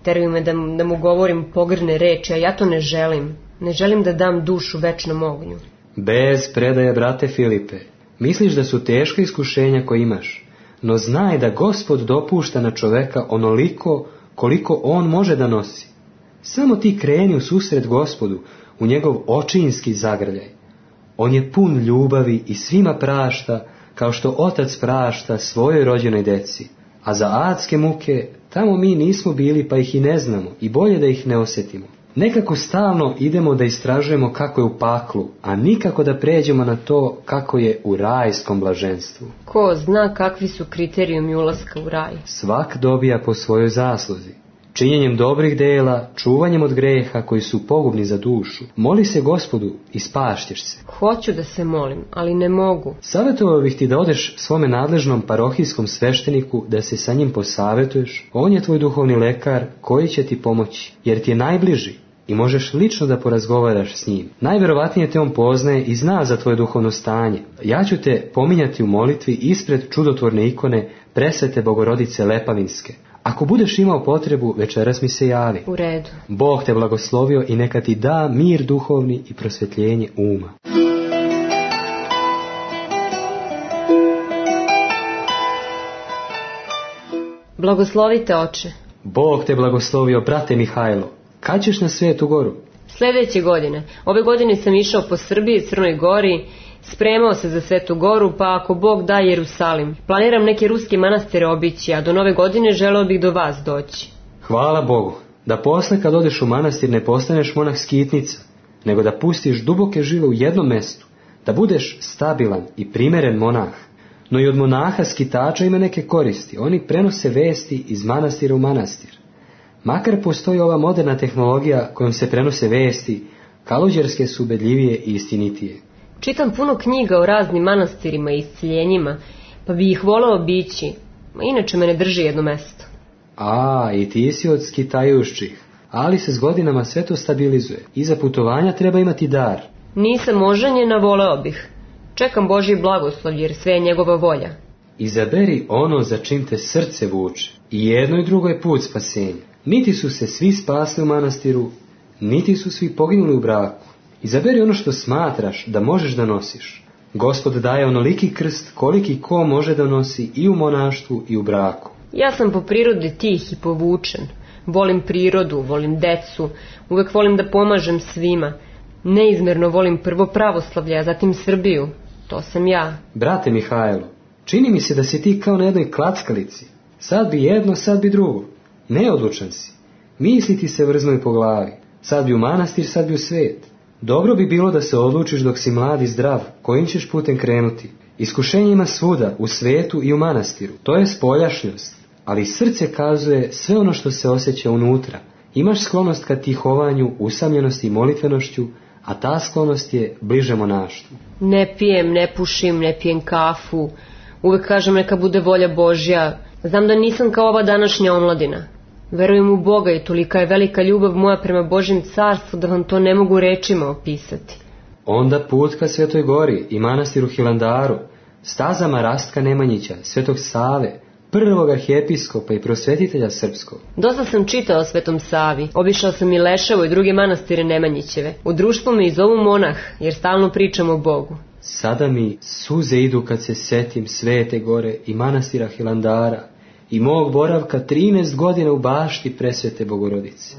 Speaker 2: Teraju me da, da mu govorim pogrne reči, a ja to ne želim. Ne želim da dam dušu večnom ognju.
Speaker 3: Bez predaje, brate Filipe. Misliš da su teška iskušenja koje imaš, no znaj da Gospod dopušta na čoveka onoliko koliko on može da nosi. Samo ti kreni u susret Gospodu, u njegov očinski zagrljaj. On je pun ljubavi i svima prašta, kao što otac prašta svojoj rođenoj deci. A za adske muke, tamo mi nismo bili pa ih i ne znamo i bolje da ih ne osjetimo. Nekako stalno idemo da istražujemo kako je u paklu, a nikako da pređemo na to kako je u rajskom blaženstvu.
Speaker 2: Ko zna kakvi su kriterijumi ulaska u raj?
Speaker 3: Svak dobija po svojoj zasluzi. Činjenjem dobrih dela, čuvanjem od greha koji su pogubni za dušu. Moli se Gospodu i spašćeš se.
Speaker 2: Hoću da se molim, ali ne mogu.
Speaker 3: Savjetovao bih ti da odeš svome nadležnom parohijskom svešteniku da se sa njim posavetuješ. On je tvoj duhovni lekar koji će ti pomoći, jer ti je najbliži i možeš lično da porazgovaraš s njim. Najverovatnije te on poznaje i zna za tvoje duhovno stanje. Ja ću te pominjati u molitvi ispred čudotvorne ikone Presvete Bogorodice Lepavinske. Ako budeš imao potrebu, večeras mi se javi.
Speaker 2: U redu.
Speaker 3: Bog te blagoslovio i neka ti da mir duhovni i prosvjetljenje uma.
Speaker 2: Blagoslovite, oče.
Speaker 3: Bog te blagoslovio, brate Mihajlo. Kad ćeš na Svetu Goru?
Speaker 2: Sljedeće godine. Ove godine sam išao po Srbiji, Crnoj Gori, spremao se za Svetu Goru, pa ako Bog da Jerusalim. Planiram neke ruske manastire obići, a do nove godine želeo bih do vas doći.
Speaker 3: Hvala Bogu, da posle kad odeš u manastir ne postaneš monah skitnica, nego da pustiš duboke žile u jednom mestu, da budeš stabilan i primeren monah. No i od monaha skitača ima neke koristi, oni prenose vesti iz manastira u manastir. Makar postoji ova moderna tehnologija kojom se prenose vesti, kaluđerske su ubedljivije i istinitije.
Speaker 2: Čitam puno knjiga o raznim manastirima i isceljenjima, pa bi ih voleo obići, a inače me ne drži jedno mesto.
Speaker 3: A, i ti si od skitajušćih, ali se s godinama sve to stabilizuje. Iza putovanja treba imati dar.
Speaker 2: Nisam oženjena, voleo bih. Čekam Božji blagoslov, jer sve je njegova volja.
Speaker 3: Izaberi ono za čim te srce vuče. I jedno i drugo je put spasenja. Niti su se svi spasli u manastiru, niti su svi poginuli u braku. Izaberi ono što smatraš da možeš da nosiš. Gospod daje onoliki krst koliki ko može da nosi i u monaštvu i u braku.
Speaker 2: Ja sam po prirodi tih i povučen. Volim prirodu, volim decu, uvek volim da pomažem svima. Neizmerno volim prvo pravoslavlje, a zatim Srbiju. To sam ja.
Speaker 3: Brate Mihajlo, čini mi se da si ti kao na jednoj klackalici. Sad bi jedno, sad bi drugo. Neodlučan si. Misli ti se vrznoj po glavi. Sad bi u manastir, sad bi u svet. Dobro bi bilo da se odlučiš dok si mlad i zdrav, kojim ćeš putem krenuti. Iskušenje ima svuda, u svetu i u manastiru. To je spoljašnjost, ali srce kazuje sve ono što se osjeća unutra. Imaš sklonost ka tihovanju, usamljenosti i molitvenošću, a ta sklonost je bliže monaštvu.
Speaker 2: Ne pijem, ne pušim, ne pijem kafu. Uvek kažem neka bude volja Božja. Znam da nisam kao ova današnja omladina. Verujem u Boga i tolika je velika ljubav moja prema Božjem carstvu da vam to ne mogu rečima opisati.
Speaker 3: Onda put ka Svetoj Gori i manastiru Hilandaru, stazama Rastka Nemanjića, Svetog Save, prvog arhijepiskopa i prosvetitelja srpskog.
Speaker 2: Dosta sam čitao o Svetom Savi, obišao sam i Leševo i druge manastire Nemanjićeve. U društvu me i zovu monah, jer stalno pričam o Bogu.
Speaker 3: Sada mi suze idu kad se setim Svete Gore i manastira Hilandara i mog boravka trinaest godina u bašti Presvete Bogorodice.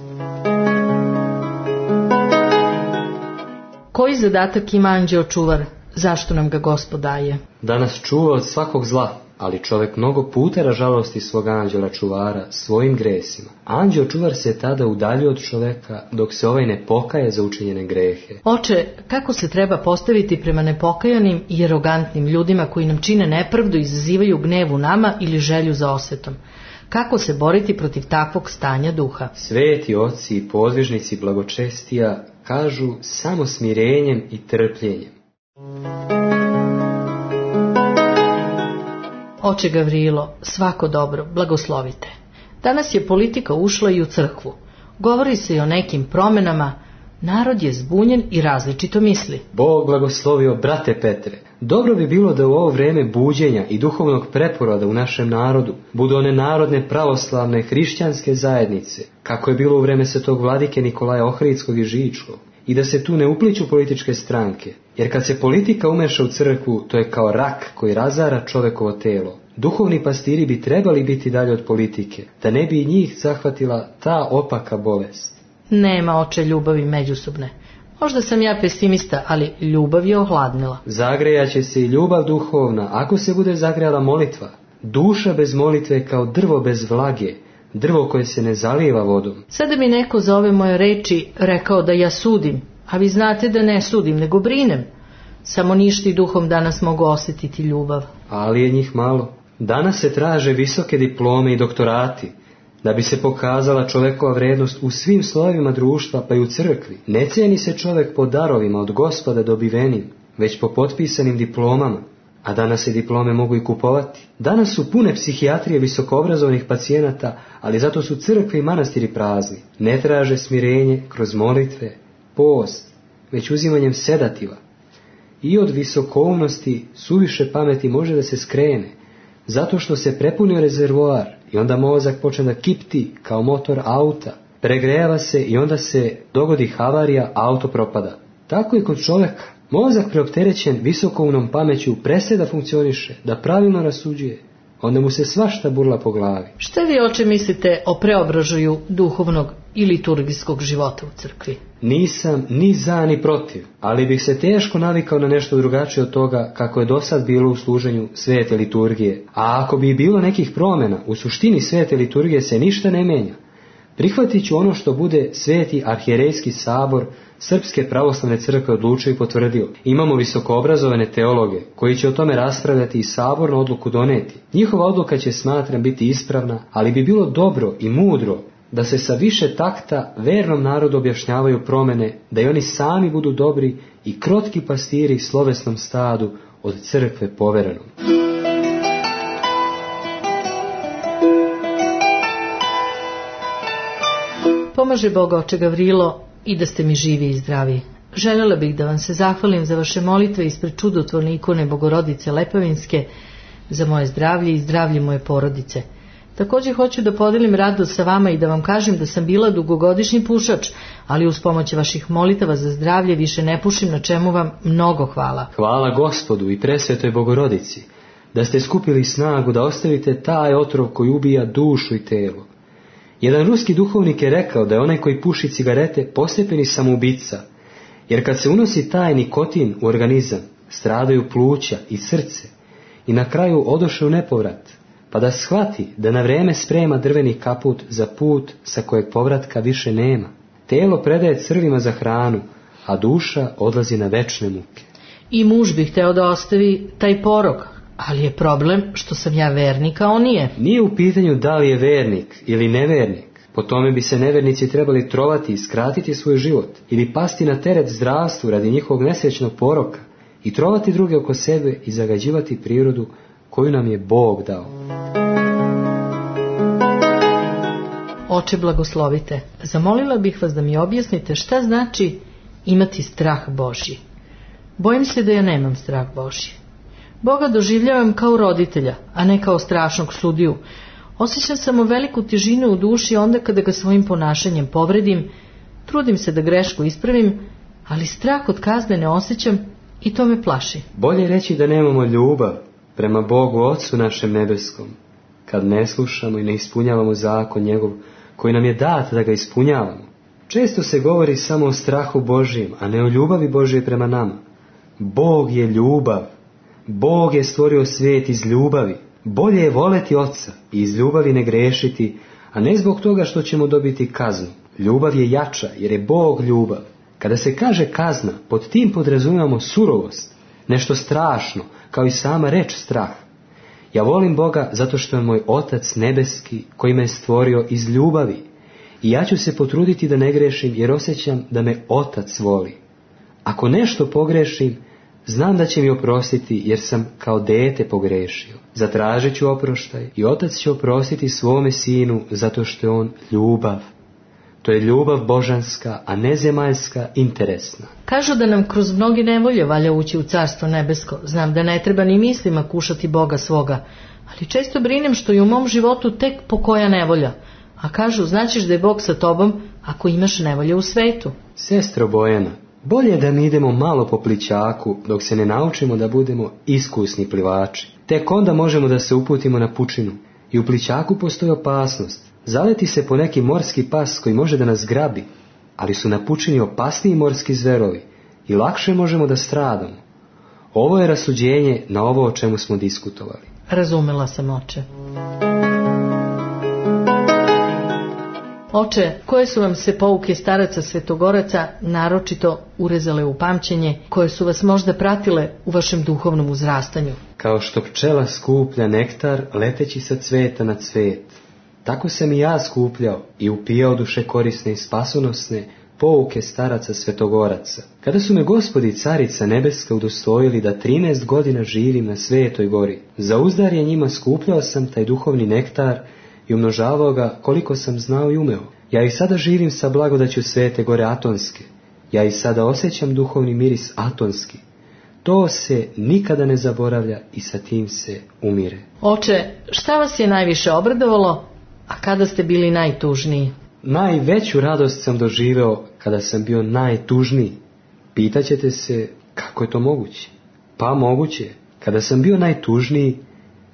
Speaker 1: Koji zadatak ima anđeo čuvar? Zašto nam ga Gospod daje?
Speaker 3: Da nas čuva od svakog zla, ali čovjek mnogo putera žalosti svog anđela čuvara svojim gresima. Anđeo čuvar se tada udalji od čovjeka dok se ovaj ne pokaje za učinjene grehe.
Speaker 1: Oče, kako se treba postaviti prema nepokajanim i arogantnim ljudima koji nam čine nepravdu i izazivaju gnev u nama ili želju za osvetom? Kako se boriti protiv takvog stanja duha?
Speaker 3: Sveti oci i podvižnici blagočestija kažu samo smirenjem i trpljenjem.
Speaker 1: Oče Gavrilo, svako dobro, blagoslovite. Danas je politika ušla i u crkvu. Govori se i o nekim promjenama. Narod je zbunjen i različito misli.
Speaker 3: Bog blagoslovio, brate Petre. Dobro bi bilo da u ovo vreme buđenja i duhovnog preporoda u našem narodu budu one narodne pravoslavne hrišćanske zajednice, kako je bilo u vreme svetog vladike Nikolaja Ohridskog i Žičkog, i da se tu ne upliću političke stranke, jer kad se politika umeša u crkvu, to je kao rak koji razara čovekovo telo. Duhovni pastiri bi trebali biti dalje od politike, da ne bi i njih zahvatila ta opaka bolest.
Speaker 1: Nema, oče, ljubavi međusobne. Možda sam ja pesimista, ali ljubav je ohladnila.
Speaker 3: Zagrejaće se i ljubav duhovna, ako se bude zagrejala molitva. Duša bez molitve je kao drvo bez vlage, drvo koje se ne zalijeva vodom.
Speaker 1: Sada mi neko za ove moje reči rekao da ja sudim, a vi znate da ne sudim, nego brinem. Samo ništa i duhom danas mogu osjetiti ljubav.
Speaker 3: Ali je njih malo. Danas se traže visoke diplome i doktorati, da bi se pokazala čovekova vrednost u svim slojevima društva, pa i u crkvi. Ne cijeni se čovek po darovima od Gospoda dobivenim, već po potpisanim diplomama, a danas se diplome mogu i kupovati. Danas su pune psihijatrije visokoobrazovanih pacijenata, ali zato su crkve i manastiri prazni. Ne traže smirenje kroz molitve, post, već uzimanjem sedativa. I od visokoumnosti suviše pameti može da se skrene, zato što se prepunio rezervoar i onda mozak počne da kipti kao motor auta. Pregrejava se i onda se dogodi havarija, auto propada. Tako i kod čoveka. Mozak preopterećen visokoumnom pameću prestaje da funkcioniše, da pravilno rasuđuje. Onda mu se svašta burla po glavi.
Speaker 1: Šta vi, oče, mislite o preobražaju duhovnog i liturgijskog života u crkvi?
Speaker 3: Nisam ni za ni protiv, ali bih se teško navikao na nešto drugačije od toga kako je do sad bilo u služenju svete liturgije. A ako bi bilo nekih promjena, u suštini svete liturgije se ništa ne menja. Prihvatit ću ono što bude sveti arhijerejski sabor Srpske pravoslavne crkve odlučio i potvrdio. Imamo visokoobrazovane teologe koji će o tome raspravljati i sabornu odluku doneti. Njihova odluka će, smatram, biti ispravna, ali bi bilo dobro i mudro da se sa više takta vernom narodu objašnjavaju promjene, da i oni sami budu dobri i krotki pastiri slovesnom stadu od crkve poverenom.
Speaker 1: Pomaže Boga, oče Gavrilo, i da ste mi živi i zdravi. Željela bih da vam se zahvalim za vaše molitve ispred čudotvorne ikone Bogorodice Lepavinske, za moje zdravlje i zdravlje moje porodice. Također hoću da podelim radost sa vama i da vam kažem da sam bila dugogodišnji pušač, ali uz pomoć vaših molitava za zdravlje više ne pušim, na čemu vam mnogo hvala.
Speaker 3: Hvala Gospodu i presvetoj Bogorodici, da ste skupili snagu da ostavite taj otrov koji ubija dušu i telo. Jedan ruski duhovnik je rekao da je onaj koji puši cigarete postepeni samoubica, jer kad se unosi taj nikotin u organizam, stradaju pluća i srce i na kraju odoše u nepovrat, pa da shvati da na vreme sprema drveni kaput za put sa kojeg povratka više nema. Telo predaje crvima za hranu, a duša odlazi na večne muke.
Speaker 1: I muž bi hteo da ostavi taj porok, ali je problem što sam ja vernik, a on nije.
Speaker 3: Nije u pitanju da li je vernik ili nevernik. Po tome bi se nevernici trebali trovati i skratiti svoj život, ili pasti na teret zdravstvu radi njihovog nesrećnog poroka i trovati druge oko sebe i zagađivati prirodu koju nam je Bog dao.
Speaker 1: Oče, blagoslovite. Zamolila bih vas da mi objasnite šta znači imati strah Božji. Bojim se da ja nemam strah Božji. Boga doživljavam kao roditelja, a ne kao strašnog sudiju. Osjećam samo veliku težinu u duši onda kada ga svojim ponašanjem povredim, trudim se da grešku ispravim, ali strah od kazne ne osjećam i to me plaši.
Speaker 3: Bolje reći da nemamo ljubav prema Bogu Otcu našem nebeskom, kad ne slušamo i ne ispunjavamo zakon njegov koji nam je dat da ga ispunjavamo. Često se govori samo o strahu Božijem, a ne o ljubavi Božije prema nama. Bog je ljubav. Bog je stvorio svijet iz ljubavi. Bolje je voleti Oca i iz ljubavi ne grešiti, a ne zbog toga što ćemo dobiti kaznu. Ljubav je jača jer je Bog ljubav. Kada se kaže kazna, pod tim podrazumijemo surovost, nešto strašno, kao i sama reč strah. Ja volim Boga zato što je moj Otac nebeski koji me je stvorio iz ljubavi. I ja ću se potruditi da ne grešim jer osjećam da me Otac voli. Ako nešto pogrešim, znam da će mi oprostiti jer sam kao dete pogrešio. Zatražit ću oproštaj i Otac će oprostiti svome sinu zato što je on ljubav. To je ljubav božanska, a ne zemaljska, interesna.
Speaker 1: Kažu da nam kroz mnoge nevolje valja ući u carstvo nebesko. Znam da ne treba ni mislima kušati Boga svoga, ali često brinem što je u mom životu tek pokoja nevolja. A kažu, znaćeš da je Bog sa tobom ako imaš nevolje u svetu.
Speaker 3: Sestro Bojana, bolje je da mi idemo malo po plićaku dok se ne naučimo da budemo iskusni plivači. Tek onda možemo da se uputimo na pučinu. I u plićaku postoji opasnost. Zaleti se po neki morski pas koji može da nas grabi. ali su na pučini opasniji morski zverovi i lakše možemo da stradamo. Ovo je rasuđenje na ovo o čemu smo diskutovali.
Speaker 1: Razumela sam, oče. Oče, koje su vam se pouke staraca svetogoraca naročito urezale u pamćenje, koje su vas možda pratile u vašem duhovnom uzrastanju?
Speaker 3: Kao što pčela skuplja nektar leteći sa cveta na cvet, tako sam i ja skupljao i upijao duše korisne i spasonosne pouke staraca svetogoraca. Kada su me Gospod i Carica nebeska udostojili da trinaest godina živim na Svetoj gori, za uzdarje njima skupljao sam taj duhovni nektar i umnožavao ga koliko sam znao i umeo. Ja i sada živim sa blagodaću Svete gore Atonske. Ja i sada osjećam duhovni miris Atonski. To se nikada ne zaboravlja i sa tim se umire.
Speaker 1: Oče, šta vas je najviše obradovalo, a kada ste bili najtužniji?
Speaker 3: Najveću radost sam doživeo kada sam bio najtužniji. Pitaćete se kako je to moguće? Pa moguće. Kada sam bio najtužniji,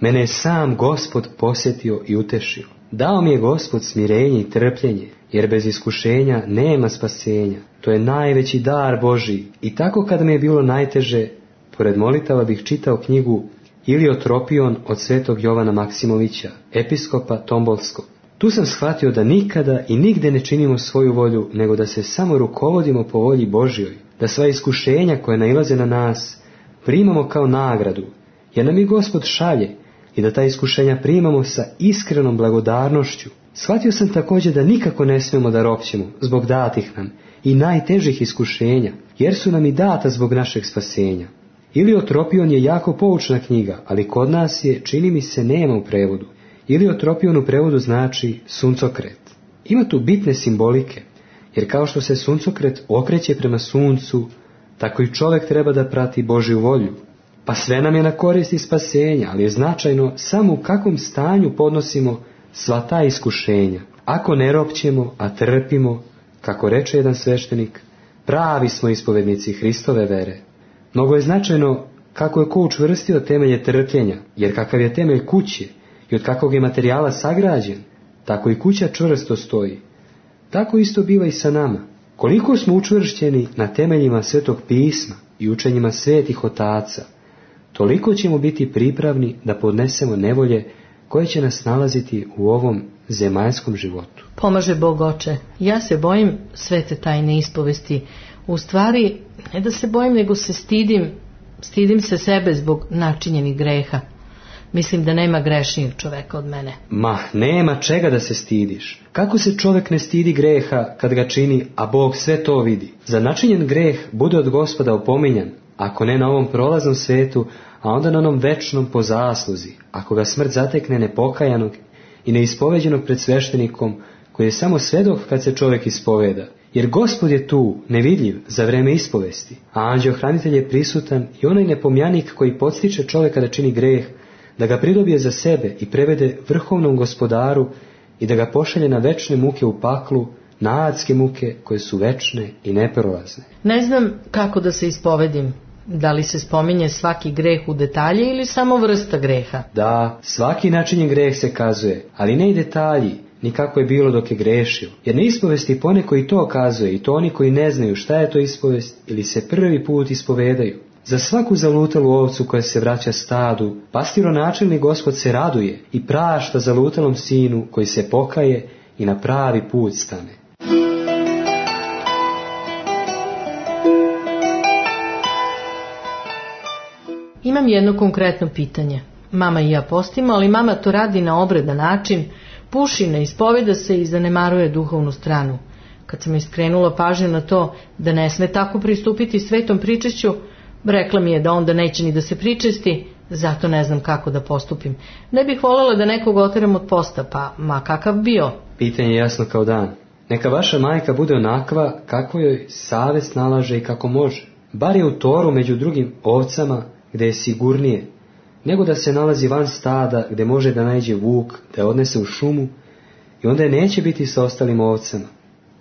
Speaker 3: mene je sam Gospod posjetio i utešio. Dao mi je Gospod smirenje i trpljenje, jer bez iskušenja nema spasenja. To je najveći dar Božji. I tako kada mi je bilo najteže, pored molitava bih čitao knjigu Iliotropion od svetog Jovana Maksimovića, episkopa Tombolskog. Tu sam shvatio da nikada i nigde ne činimo svoju volju, nego da se samo rukovodimo po volji Božjoj, da sva iskušenja koje nailaze na nas primamo kao nagradu, jer nam i Gospod šalje, i da ta iskušenja primamo sa iskrenom blagodarnošću. Shvatio sam također da nikako ne smijemo da ropćemo zbog datih nam i najtežih iskušenja, jer su nam i data zbog našeg spasenja. Iliotropion je jako poučna knjiga, ali kod nas je, čini mi se, nema u prevodu. Iliotropion u prevodu znači suncokret. Ima tu bitne simbolike, jer kao što se suncokret okreće prema suncu, tako i čovjek treba da prati Božju volju. Pa sve nam je na korist i spasenja, ali je značajno samo u kakvom stanju podnosimo sva ta iskušenja. Ako ne ropćemo, a trpimo, kako reče jedan sveštenik, pravi smo ispovednici Hristove vere. Mnogo je značajno kako je ko učvrstio temelje trpljenja, jer kakav je temelj kuće i od kakvog je materijala sagrađen, tako i kuća čvrsto stoji. Tako isto biva i sa nama. Koliko smo učvršćeni na temeljima Svetog pisma i učenjima svetih otaca, toliko ćemo biti pripravni da podnesemo nevolje koje će nas nalaziti u ovom zemaljskom životu.
Speaker 1: Pomaže Bog, oče. Ja se bojim svete tajne ispovesti. U stvari, ne da se bojim, nego se stidim. Stidim se sebe zbog načinjenih greha. Mislim da nema grešnijeg čoveka od mene.
Speaker 3: Ma, nema čega da se stidiš. Kako se čovjek ne stidi greha kad ga čini, a Bog sve to vidi? Za načinjen greh bude od Gospoda opominjan, ako ne na ovom prolaznom svetu, a onda na onom večnom po zasluzi, ako ga smrt zatekne nepokajanog i neispoveđenog pred sveštenikom, koji je samo svedok kad se čovjek ispoveda. Jer Gospod je tu, nevidljiv, za vreme ispovesti, a anđeohranitelj je prisutan i onaj nepomjanik koji podstiče čovjeka da čini greh, da ga pridobije za sebe i prevede vrhovnom Gospodaru i da ga pošalje na večne muke u paklu, na adske muke koje su večne i neprolazne.
Speaker 1: Ne znam kako da se ispovedim. Da li se spominje svaki greh u detalje ili samo vrsta greha?
Speaker 3: Da, svaki načinjen greh se kazuje, ali ne i detalji, ni kako je bilo dok je grešio. Jer na ispovesti poneko i to kazuje, i to oni koji ne znaju šta je to ispovest ili se prvi put ispovedaju. Za svaku zalutalu ovcu koja se vraća stadu, pastironačelni Gospod se raduje i prašta zalutalom sinu koji se pokaje i na pravi put stane.
Speaker 1: Imam jedno konkretno pitanje. Mama i ja postimo, ali mama to radi na obredan način, puši, ne ispoveda se i zanemaruje duhovnu stranu. Kad sam iskrenula pažnju na to da ne sme tako pristupiti svetom pričešću, rekla mi je da onda neće ni da se pričesti, zato ne znam kako da postupim. Ne bih voljela da nekog oteram od posta, pa ma kakav bio.
Speaker 3: Pitanje je jasno kao dan. Neka vaša majka bude onakva kako joj savest nalaže i kako može. Bar je u toru među drugim ovcama gdje je sigurnije, nego da se nalazi van stada gdje može da nađe vuk, da je odnese u šumu i onda je neće biti sa ostalim ovcama.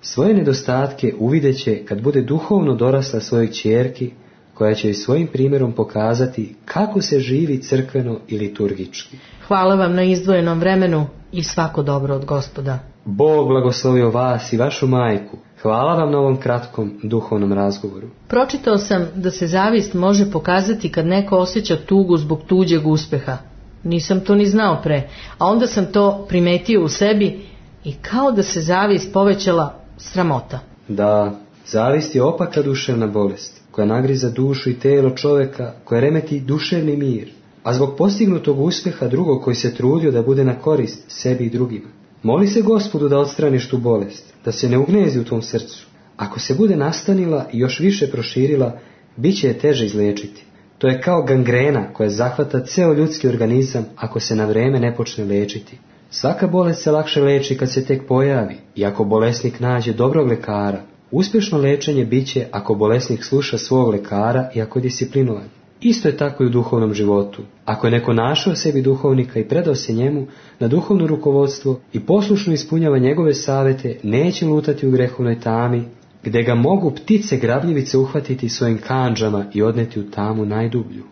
Speaker 3: Svoje nedostatke uvideće kad bude duhovno dorasla svojoj ćerki, koja će i svojim primjerom pokazati kako se živi crkveno i liturgički.
Speaker 1: Hvala vam na izdvojenom vremenu i svako dobro od Gospoda.
Speaker 3: Bog blagoslovio vas i vašu majku. Hvala vam na ovom kratkom duhovnom razgovoru.
Speaker 1: Pročitao sam da se zavist može pokazati kad neko osjeća tugu zbog tuđeg uspeha. Nisam to ni znao pre, a onda sam to primetio u sebi i kao da se zavist povećala sramota.
Speaker 3: Da, zavist je opaka duševna bolest, koja nagriza dušu i telo čoveka, koja remeti duševni mir, a zbog postignutog uspeha drugog koji se trudio da bude na korist sebi i drugima. Moli se Gospodu da odstraniš tu bolest, da se ne ugnezi u tvom srcu. Ako se bude nastanila i još više proširila, bit će je teže izlečiti. To je kao gangrena koja zahvata ceo ljudski organizam ako se na vreme ne počne lečiti. Svaka bolest se lakše leči kad se tek pojavi i ako bolesnik nađe dobrog lekara. Uspješno lečenje bit će ako bolesnik sluša svog lekara i ako je disciplinovan. Isto je tako i u duhovnom životu. Ako je neko našao sebi duhovnika i predao se njemu na duhovno rukovodstvo i poslušno ispunjava njegove savete, neće lutati u grehovnoj tami, gde ga mogu ptice grabljivice uhvatiti svojim kandžama i odneti u tamu najdublju.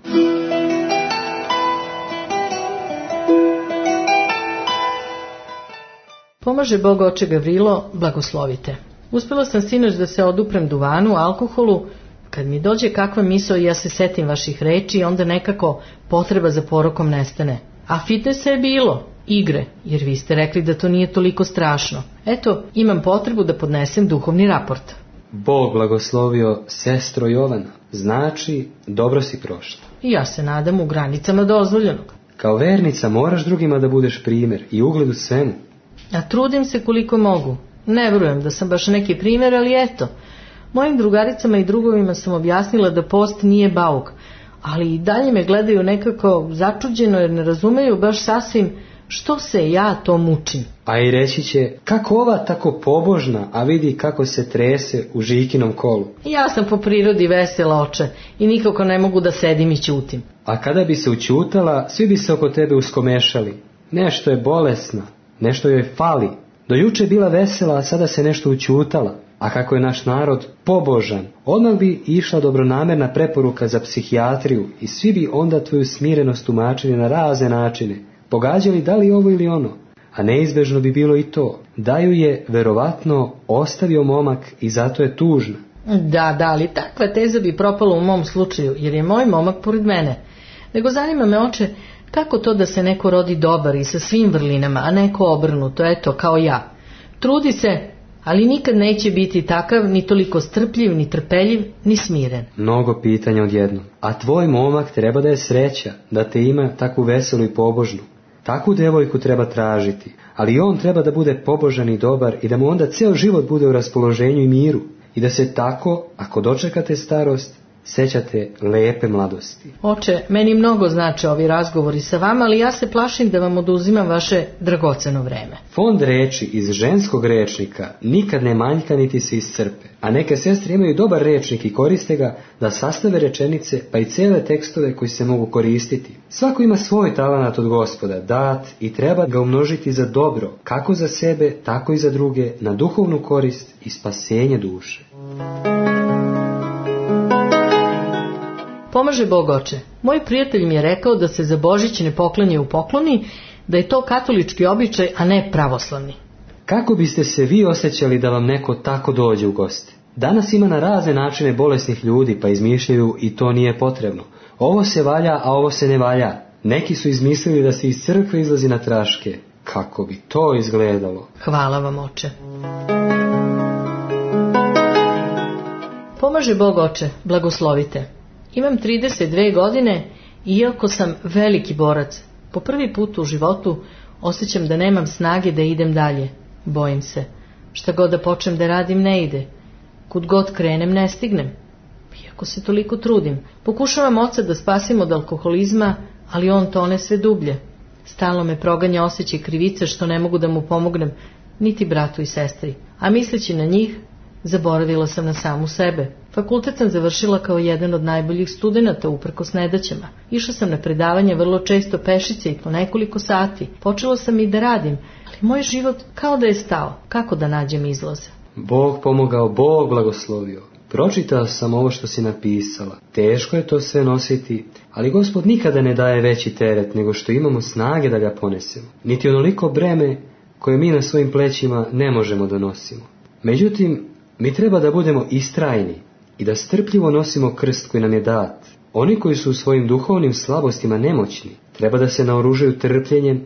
Speaker 1: Pomaže Bog oče Gavrilo, blagoslovite. Uspela sam sinoć da se oduprem duvanu, alkoholu. Kad mi dođe kakva misao i ja se setim vaših reči i onda nekako potreba za porokom nestane. A fitnesa je bilo, igre, jer vi ste rekli da to nije toliko strašno. Eto, imam potrebu da podnesem duhovni raport.
Speaker 3: Bog blagoslovio sestro Jovana, znači dobro si prošla.
Speaker 1: I ja se nadam u granicama dozvoljenog.
Speaker 3: Kao vernica moraš drugima da budeš primjer i ugled u svemu.
Speaker 1: A trudim se koliko mogu. Ne vjerujem da sam baš neki primjer, ali eto. Mojim drugaricama i drugovima sam objasnila da post nije bauk, ali i dalje me gledaju nekako začuđeno jer ne razumeju baš sasvim što se ja to mučim.
Speaker 3: A i reći će, kako ova tako pobožna, a vidi kako se trese u Žikinom kolu.
Speaker 1: Ja sam po prirodi vesela, oče, i nikako ne mogu da sedim i ćutim.
Speaker 3: A kada bi se učutala, svi bi se oko tebe uskomešali. Nešto je bolesna, nešto joj fali. Do juče bila vesela, a sada se nešto učutala. A kako je naš narod pobožan, odmah bi išla dobronamerna preporuka za psihijatriju i svi bi onda tvoju smirenost tumačili na razne načine, pogađali da li ovo ili ono, a neizbežno bi bilo i to, da ju je verovatno ostavio momak i zato je tužna.
Speaker 1: Da, da, ali takva teza bi propala u mom slučaju, jer je moj momak pored mene. Nego zanima me, oče, kako to da se neko rodi dobar i sa svim vrlinama, a neko obrnuto, eto, kao ja. Trudi se, ali nikad neće biti takav, ni toliko strpljiv, ni trpeljiv, ni smiren.
Speaker 3: Mnogo pitanja odjednom. A tvoj momak treba da je sreća, da te ima takvu veselu i pobožnu. Takvu devojku treba tražiti, ali i on treba da bude pobožan i dobar i da mu onda ceo život bude u raspoloženju i miru. I da se tako, ako dočekate starost, sećate lepe mladosti.
Speaker 1: Oče, meni mnogo znače ovi razgovori sa vama, ali ja se plašim da vam oduzimam vaše dragoceno vreme.
Speaker 3: Fond reči iz ženskog rečnika nikad ne manjka niti se iscrpe, a neke sestre imaju dobar rečnik i koriste ga da sastave rečenice pa i cele tekstove koji se mogu koristiti. Svako ima svoj talenat od Gospoda, dat i treba ga umnožiti za dobro, kako za sebe, tako i za druge, na duhovnu korist i spasenje duše.
Speaker 1: Pomaže Bog oče. Moj prijatelj mi je rekao da se za Božić ne poklanja u pokloni, da je to katolički običaj, a ne pravoslavni.
Speaker 3: Kako biste se vi osjećali da vam neko tako dođe u goste? Danas ima na razne načine bolesnih ljudi, pa izmišljaju i to nije potrebno. Ovo se valja, a ovo se ne valja. Neki su izmislili da se iz crkve izlazi na traške. Kako bi to izgledalo?
Speaker 1: Hvala vam, oče. Pomaže Bog oče, blagoslovite. Imam trideset dve godine i iako sam veliki borac, po prvi put u životu osjećam da nemam snage da idem dalje. Bojim se. Šta god da počnem da radim ne ide. Kud god krenem ne stignem. Iako se toliko trudim. Pokušavam oca da spasim od alkoholizma, ali on tone sve dublje. Stalno me proganja osjećaj krivice što ne mogu da mu pomognem, niti bratu i sestri. A misleći na njih, zaboravila sam na samu sebe. Fakultet sam završila kao jedan od najboljih studenata uprkos nedaćama. Išla sam na predavanje vrlo često pešice i po nekoliko sati. Počela sam i da radim, ali moj život kao da je stao. Kako da nađem izlaz?
Speaker 3: Bog pomogao, Bog blagoslovio. pročitao sam ovo što si napisala. Teško je to sve nositi, ali Gospod nikada ne daje veći teret nego što imamo snage da ga ponesemo. Niti onoliko breme koje mi na svojim plećima ne možemo da nosimo. Međutim, mi treba da budemo istrajni i da strpljivo nosimo krst koji nam je dat. Oni koji su u svojim duhovnim slabostima nemoćni, treba da se naoružaju trpljenjem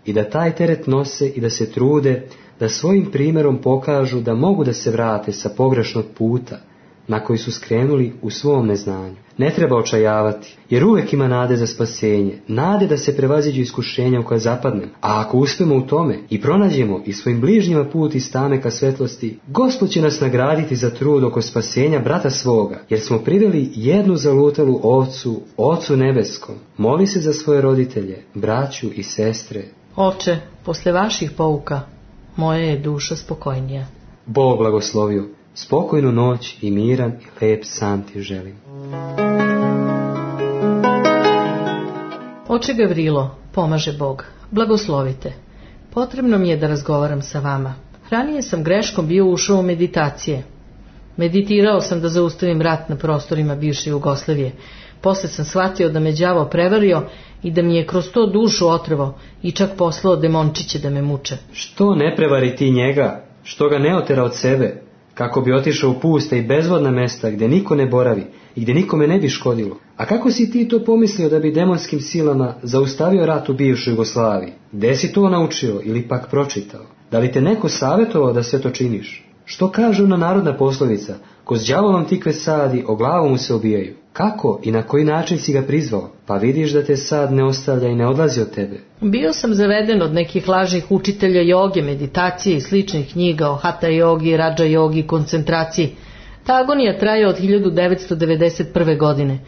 Speaker 3: i da taj teret nose i da se trude da svojim primjerom pokažu da mogu da se vrate sa pogrešnog puta na koji su skrenuli u svom neznanju. Ne treba očajavati, jer uvek ima nade za spasenje, nade da se prevaziđu iskušenja u koje zapadnemo. A ako uspemo u tome i pronađemo i svojim bližnjima put iz tame ka svetlosti, Gospod će nas nagraditi za trud oko spasenja brata svoga, jer smo priveli jednu zalutalu ovcu, Ocu nebeskom. Moli se za svoje roditelje, braću i sestre.
Speaker 1: Oče, posle vaših pouka, moja je duša spokojnija.
Speaker 3: Bog blagoslovio. Spokojnu noć i miran i lep san ti želim.
Speaker 1: Oče Gavrilo, pomaže Bog, blagoslovite. Potrebno mi je da razgovaram sa vama. Ranije sam greškom bio ušao u meditacije. Meditirao sam da zaustavim rat na prostorima bivše Jugoslavije. Posle sam shvatio da me đavo prevario i da mi je kroz to dušu otrevo i čak poslao demončiće da me muče.
Speaker 3: Što ne prevari ti njega? Što ga ne otera od sebe? Kako bi otišao u puste i bezvodna mesta gdje niko ne boravi i gdje nikome ne bi škodilo. A kako si ti to pomislio da bi demonskim silama zaustavio rat u bivšoj Jugoslaviji? Gde si to naučio ili pak pročitao? Da li te neko savjetovao da sve to činiš? Što kaže ona narodna poslovica? Ko s đavolom tikve sadi, o glavu mu se obijaju. Kako i na koji način si ga prizvao? Pa vidiš da te sad ne ostavlja i ne odlazi od tebe.
Speaker 1: Bio sam zaveden od nekih lažnih učitelja joge, meditacije i sličnih knjiga o hatha jogi, rađa jogi, koncentraciji. Ta agonija traje od hiljadu devetsto devedeset prve. godine.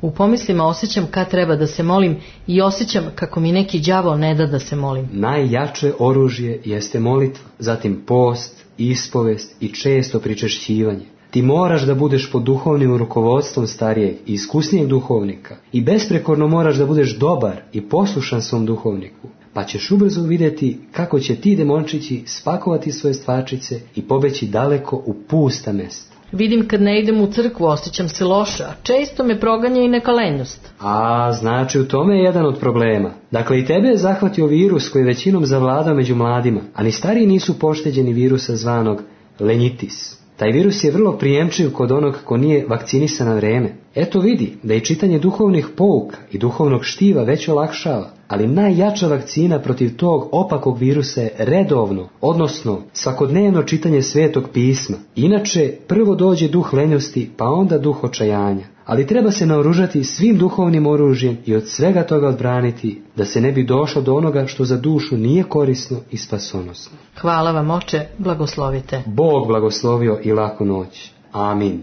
Speaker 1: U pomislima osjećam kad treba da se molim i osjećam kako mi neki đavo ne da da se molim.
Speaker 3: Najjače oružje jeste molitva, zatim post, ispovest i često pričešćivanje. Ti moraš da budeš pod duhovnim rukovodstvom starijeg i iskusnijeg duhovnika i besprekorno moraš da budeš dobar i poslušan svom duhovniku, pa ćeš ubrzo vidjeti kako će ti demončići spakovati svoje stvarčice i pobeći daleko u pusta mesta.
Speaker 1: Vidim kad ne idem u crkvu, osjećam se loše, a često me proganja i neka lenjost.
Speaker 3: A, znači u tome je jedan od problema. Dakle, i tebe je zahvatio virus koji je većinom zavladao među mladima, a ni stariji nisu pošteđeni virusa zvanog lenjitis. Taj virus je vrlo prijemčiv kod onog ko nije vakcinisan na vreme. Eto vidi da i čitanje duhovnih pouka i duhovnog štiva već olakšava, ali najjača vakcina protiv tog opakog virusa je redovno, odnosno svakodnevno čitanje Svetog pisma. Inače, prvo dođe duh lenjosti, pa onda duh očajanja. Ali treba se naoružati svim duhovnim oružjem i od svega toga odbraniti, da se ne bi došlo do onoga što za dušu nije korisno i spasonosno.
Speaker 1: Hvala vam, oče, blagoslovite.
Speaker 3: Bog blagoslovio i laku noć. Amin.